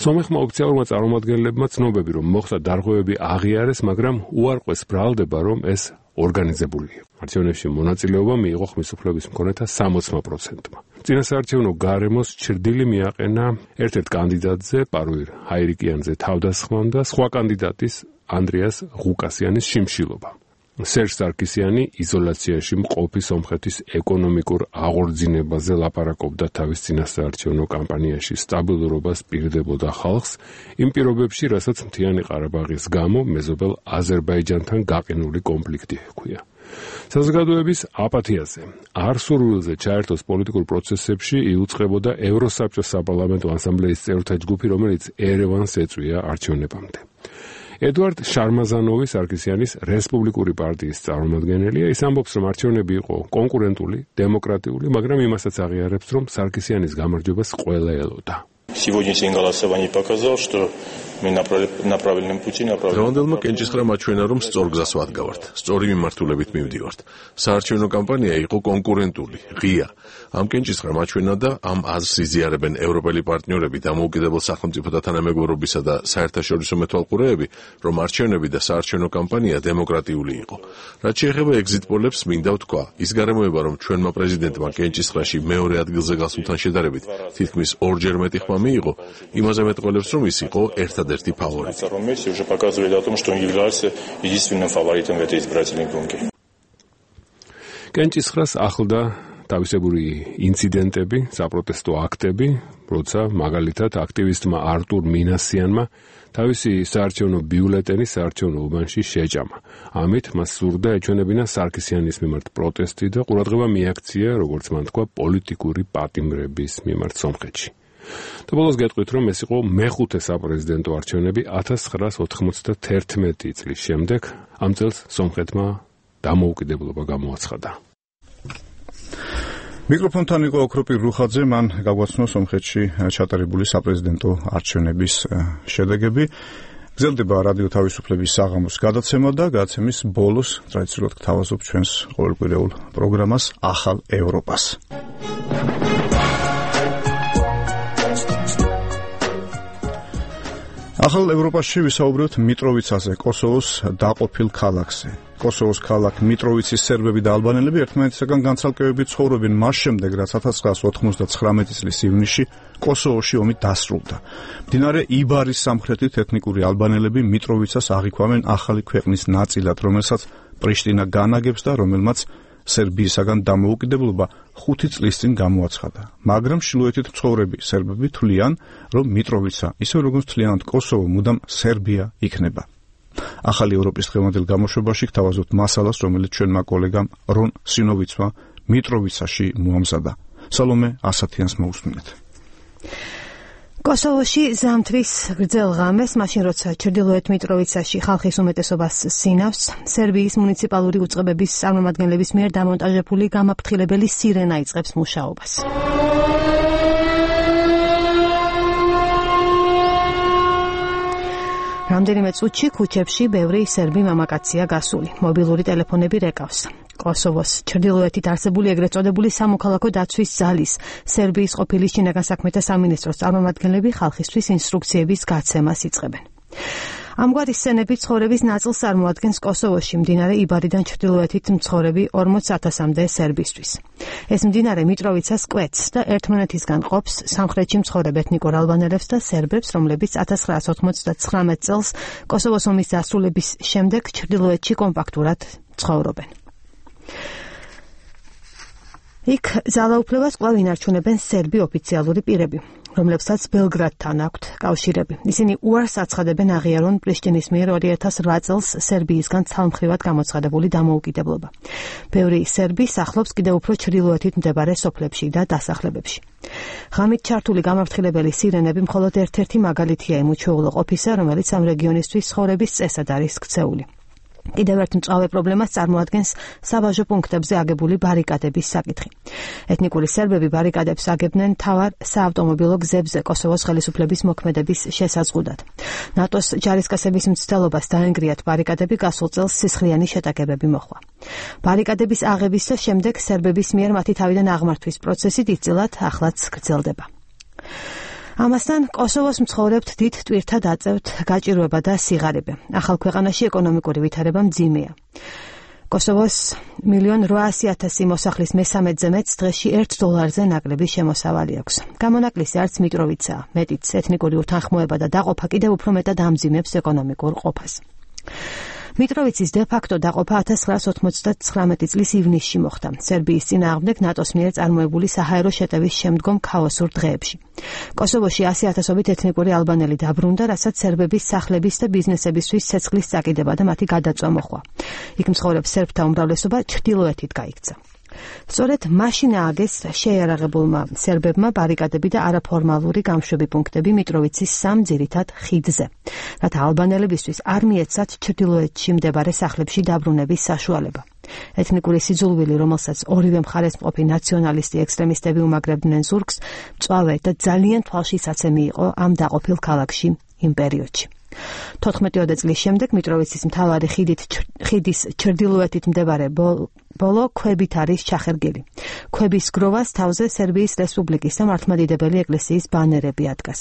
სომეხმა ოფიციალურმა წარმომადგენლებმა ცნობები, რომ მოხდა დარღვევები აღიარეს, მაგრამ უარყვეს ბრალდება, რომ ეს ორგანიზებული. არჩევნებში მონაწილეობა მიიღო ხმისუფლების მქონეთა სამოცმა პროცენტმა. წინასაარჩევნო გარემოს ჩრდილი მიაყენა ერთ-ერთ კანდიდატზე, პარუირ ჰაირიკიანზე თავდასხმამ და სხვა კანდიდატის ანდრიას ღუკასიანის შიმშილობა. სერჟ სარქისიანი იზოლაციაში მყოფი სომხეთის ეკონომიკურ აღორძინებაზე ლაპარაკობდა თავის წინასაარჩევნო კამპანიაში, სტაბილურობას პირდებოდა ხალხს, იმ პირობებში, რასაც მთიანი ყარაბაღის გამო მეზობელ აზერბაიჯანთან გაყინული კონფლიქტი ჰქვია. საზოგადოების აპათიაზე, არ სურვილზე ჩაერთოს პოლიტიკურ პროცესებში იუწყებოდა ევროსაბჭოს საპარლამენტო ასამბლეის წევრთა ჯგუფი, რომელიც ერევანს ეწვია არჩევნებამდე. ედვარდ შარმაზანოვი სარქისიანის რესპუბლიკური პარტიის წარმომადგენელია. ის ამბობს, რომ არჩევნები იყო კონკურენტული, დემოკრატიული, მაგრამ იმასაც აღიარებს, რომ სარქისიანის გამარჯვებას ყველა ელოდა. Сегодняшнее голосование показало, что мы на правильном пути, на правильном. Დღევანდელმა კენჭისყრამ აჩვენა, რომ სწორ გზას ვადგავართ, სწორი მიმართულებით მივდივართ. საარჩევნო კამპანია იყო კონკურენტული, ღია. ამ კენჭისყრამ აჩვენა და ამ აზრს იზიარებენ ევროპელი პარტნიორები, დამოუკიდებელ სახელმწიფოთა თანამეგობრობისა და საერთაშორისო მეთვალყურეები, რომ არჩევნები და საარჩევნო კამპანია დემოკრატიული იყო. რაც შეეხება ეგზიტ პოლებს, მინდა ვთქვა, ის გარემოება, რომ ჩვენმა პრეზიდენტმა კენჭისყრაში მეორე ადგილზე გასულთან შედარებით თითქმის ორჯერ მეტი ხმა მიიღო, იმაზე მეტყველებს, რომ ის იყო ერთად ერთადერთი ფავორიტი. Месси уже показывает о том, что он является единственным фаворитом в этой избирательной гонке. კენჭისყრას ახლდა თავისებური ინციდენტები, საპროტესტო აქტები, როცა მაგალითად აქტივისტმა არტურ მინასიანმა თავისი საარჩევნო ბიულეტენი საარჩევნო უბანში შეჭამა. ამით მას სურდა ეჩვენებინა სარქისიანის მიმართ პროტესტი და ყურადღება მიაქცია, როგორც მან თქვა, პოლიტიკური პატიმრების მიმართ სომხეთში. და ბოლოს გეტყვით, რომ ეს იყო მეხუთე საპრეზიდენტო არჩევნები ათას ცხრაას ოთხმოცდაათერთმეტი წლის შემდეგ. ამ წელს სომხეთმა დამოუკიდებლობა გამოაცხადა. მიკროფონთან იყო ოქროპირ რუხაძე, მან გაგვაცნო სომხეთში ჩატარებული საპრეზიდენტო არჩევნების შედეგები. გრძელდება რადიო თავისუფლების საღამოს გადაცემა და გადაცემის ბოლოს ტრადიციულად გთავაზობ ჩვენს ყოველკვირეულ პროგრამას ახალ ევროპას. ახალ ევროპაში ვისაუბრებთ მიტროვიცაზე, კოსოვოს დაყოფილ ქალაქზე. კოსოვოს ქალაქ მიტროვიცის სერბები და ალბანელები ერთმანეთისაგან განცალკევებით ცხოვრობენ მას შემდეგ, რაც ათას ცხრაას ოთხმოცდაცხრამეტი წლის ივნისში კოსოვოში ომი დასრულდა. მდინარე იბარის სამხრეთით ეთნიკური ალბანელები მიტროვიცას აღიქვამენ ახალი ქვეყნის ნაწილად, რომელსაც პრიშტინა განაგებს და რომელმაც სერბიისაგან დამოუკიდებლობა ხუთი წლის წინ გამოაცხადა. მაგრამ ჩრდილოეთით მცხოვრები სერბები თვლიან, რომ მიტროვიცა, ისე როგორც თვლიანად კოსოვო, მუდამ სერბია იქნება. ახალი ევროპის დღევანდელ გამოშვებაში გთავაზობთ მასალას, რომელიც ჩვენმა კოლეგამ რონ სინოვიცმა მიტროვიცაში მოამზადა. სალომე ასათიანს მოусმინეთ. კოსოვოში ზამთრის გრძელ ღამეს, მაშინ როცა ჩრდილოეთ მიტროვიცაში ხალხის უმეტესობას სინავს, სერბიის მუნიციპალური უწყებების წარმომადგენლების მიერ დამონტაჟებული გამაფრთხილებელი სირენა იწყებს მუშაობას. რამდენიმე წუთში ქუჩებში ბევრი სერბი მამაკაცია გასული. მობილური ტელეფონები რეკავს. კოსოვოს ჩრდილოეთით არსებული ეგრეთ წოდებული სამოქალაქო დაცვის ძალის სერბიის ყოფილი შინაგან საქმეთა სამინისტროს წარმომადგენლები ხალხისთვის ინსტრუქციების გაცემას იწყებენ. ამგვარი სცენები ცხოვრების ნაწილს წარმოადგენს კოსოვოში მდინარე იბარიდან ჩრდილოეთით მცხოვრები ორმოც ათასამდე სერბისთვის. ეს მდინარე მიტროვიცას კვეთს და ერთმანეთისგან ყოფს სამხრეთში მცხოვრებ ეთნიკურ ალბანელებს და სერბებს, რომლებიც ათას ცხრაას ოთხმოცდაცხრამეტ წელს კოსოვოს ომის დასრულების შემდეგ ჩრდილოეთში კომპაქტურად ცხოვრობენ. იქ ძალაუფლებას კვლავ ინარჩუნებენ სერბი ოფიციალური პირები, რომლებსაც ბელგრადთან აქვთ კავშირები. ისინი უარს აცხადებენ აღიარონ პრიშტინის მიერ ორი ათას რვა წელს სერბიისგან ცალმხრივად გამოცხადებული დამოუკიდებლობა. ბევრი სერბი სახლობს კიდევ უფრო ჩრდილოეთით მდებარე სოფლებში და დასახლებებში. ღამით ჩართული გამაფრთხილებელი სირენები მხოლოდ ერთ-ერთი მაგალითია იმ უჩვეულო ყოფისა, რომელიც ამ რეგიონისთვის ცხოვრების წესად არის ქცეული. კიდევ ერთ მწვავე პრობლემას წარმოადგენს საბაჟო პუნქტებზე აგებული ბარიკადების საკითხი. ეთნიკური სერბები ბარიკადებს აგებდნენ მთავარ საავტომობილო გზებზე კოსოვოს ხელისუფლების მოქმედების შესაძლებლად. ნატოს ჯარისკაცების მცდელობას დაენგრიათ ბარიკადები გასულ წელს სისხლიანი შეტაკებები მოხდა. ბარიკადების აღების და შემდეგ სერბების მიერ მათი თავიდან აღმართვის პროცესი დიდწილად ახლაც გრძელდება. ამასთან კოსოვოს მცხოვრებთ დიდ ტვირთად აწევთ გაჭირვება და სიღარიბე. ახალ ქვეყანაში ეკონომიკური ვითარება მძიმეა. კოსოვოს მილიონ რვაასი ათასი მოსახლის მესამედზე მეც დღეში ერთ დოლარზე ნაკლები შემოსავალი აქვს. გამონაკლისი არც მიტროვიცაა, მეტიც ეთნიკური უთანხმოება და დაყოფა კიდევ უფრო მეტად ამძიმებს ეკონომიკურ ყოფას. მიტროვიცის დე-ფაქტო დაყოფა ათას ცხრაას ოთხმოცდაცხრამეტი წლის ივნისში მოხდა. სერბიის წინააღმდეგ ნატოს მიერ წარმოებული საჰაერო შეტევის შემდგომ ქაოსურ დღეებში. კოსოვოში ასი ათასობით ეთნიკური ალბანელი დაბრუნდა, რასაც სერბების სახლების და ბიზნესებისთვის ცეცხლის წაკიდება და მათი გადაწვა მოჰყვა. იქ მცხოვრებ სერბთა უმრავლესობა ჩრდილოეთით გაიქცა. სწორედ მაშინ ააგეს შეიარაღებულმა სერბებმა ბარიკადები და არაფორმალური გამშვები პუნქტები მიტროვიცის სამ ძირითად ხიდზე, რათა ალბანელებისთვის არ მიეცათ ჩრდილოეთში მდებარე სახლებში დაბრუნების საშუალება. ეთნიკური სიძულვილი, რომელსაც ორივე მხარეს მყოფი ნაციონალისტი ექსტრემისტები უმაგრებდნენ ზურგს, მწვავე და ძალიან თვალშისაცემი იყო ამ დაყოფილ ქალაქში იმ პერიოდში. თოთხმეტი წლის შემდეგ მიტროვიცის მთავარი ხიდით ხიდის ჩრდილოეთით მდებარე ბოლო ქვებით არის ჩახერგილი. ქვების გროვას თავზე სერბიის რესპუბლიკის და მართლმადიდებელი ეკლესიის ბანერები ადგას.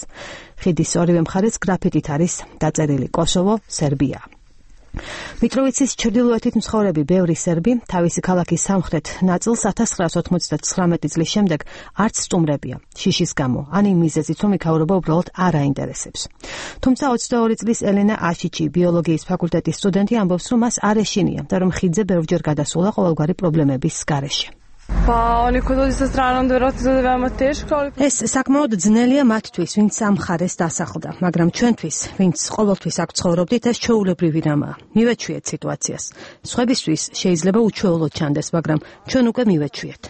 ხიდის ორივე მხარეს გრაფიტით არის დაწერილი კოსოვო, სერბია. მიტროვიცის ჩრდილოეთით მცხოვრები ბევრი სერბი თავისი ქალაქის სამხრეთ ნაწილს ათას ცხრაას ოცდაათმეტი წლის შემდეგ არც სტუმრებია შიშის გამო, ან იმ მიზეზით, რომ იქაურობა უბრალოდ არ აინტერესებს. თუმცა ოცდაორი წლის ელენა აშიჩი, ბიოლოგიის ფაკულტეტის სტუდენტი, ამბობს, რომ მას არ ეშინია და რომ ხიდზე ბევრჯერ გადასულა ყოველგვარი პრობლემების გარეშე. ეს საკმაოდ ძნელია მათთვის, ვინც ამ მხარეს დასახლდა, მაგრამ ჩვენთვის, ვინც ყოველთვის აქ ცხოვრობდით, ეს ჩვეულებრივი რამაა. მივეჩვიეთ სიტუაციას. სხვებისთვის შეიძლება უჩვეულოდ ჩანდეს, მაგრამ ჩვენ უკვე მივეჩვიეთ.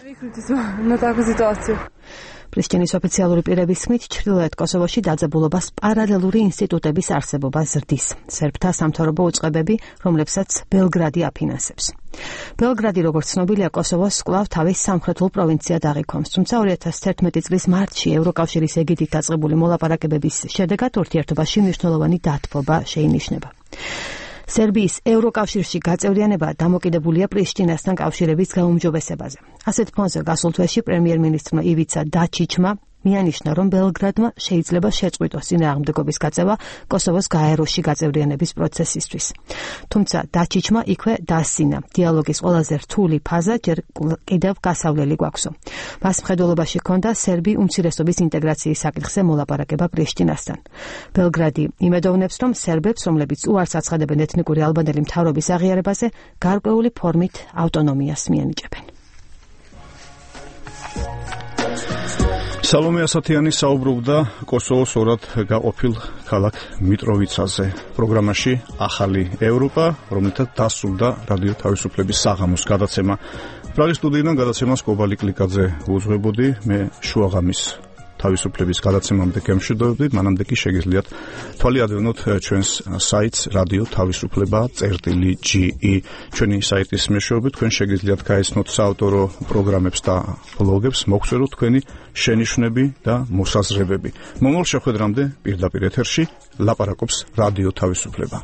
პრიშტინის ოფიციალური პირების თქმით, ჩრდილოეთ კოსოვოში დაძაბულობას პარალელური ინსტიტუტების არსებობა ზრდის. სერბთა სამთავრობო უწყებები, რომლებსაც ბელგრადი აფინანსებს. ბელგრადი, როგორც ცნობილია, კოსოვოს კვლავ თავის სამხრეთულ პროვინციად აღიქვამს, თუმცა ორი ათას თერთმეტი წლის მარტში ევროკავშირის ეგიდით დაწყებული მოლაპარაკებების შედეგად ურთიერთობაში მნიშვნელოვანი დათბობა შეინიშნება. სერბიის ევროკავშირში გაწევრიანება დამოკიდებულია პრიშტინასთან კავშირების გაუმჯობესებაზე. ასეთ ფონზე გასულ თვეში პრემიერ-მინისტრმა ივიცა დაჩიჩმა მიანიშნა, რომ ბელგრადმა შეიძლება შეწყვიტოს წინააღმდეგობის გაწევა კოსოვოს გაეროში გაწევრიანების პროცესისთვის. თუმცა დაჩიჩმა იქვე დასცინა. დიალოგის ყველაზე რთული ფაზა ჯერ კიდევ გასავლელი გვაქვსო. მას მხედველობაში ჰქონდა სერბი უმცირესობის ინტეგრაციის საკითხზე მოლაპარაკება პრიშტინასთან. ბელგრადი იმედოვნებს, რომ სერბებს, რომლებიც უარს აცხადებენ ეთნიკური ალბანელი მთავრობის აღიარებაზე, გარკვეული ფორმით ავტონომიას მიანიჭებენ. სალომე ასათიანი საუბრობდა კოსოვოს ორად გაყოფილ ქალაქ მიტროვიცაზე. პროგრამაში ახალი ევროპა, რომელთაც დასრულდა რადიო თავისუფლების საღამოს გადაცემა. პრაღის სტუდიიდან გადაცემას კობალი კლიკაძე უძღვებოდი, მე შუაღამის თავისუფლების გადაცემამდე გემშვიდობებით, მანამდე კი შეგიძლიათ თვალი ადევნოთ ჩვენს საიტს რადიო თავისუფლება წერტილი ჯი ი. ჩვენი საიტის მეშვეობით თქვენ შეგიძლიათ გაეცნოთ საავტორო პროგრამებს და ბლოგებს, მოგწეროთ თქვენი შენიშვნები და მოსაზრებები. მომავალ შეხვედრამდე პირდაპირ ეთერში ლაპარაკობს რადიო თავისუფლება.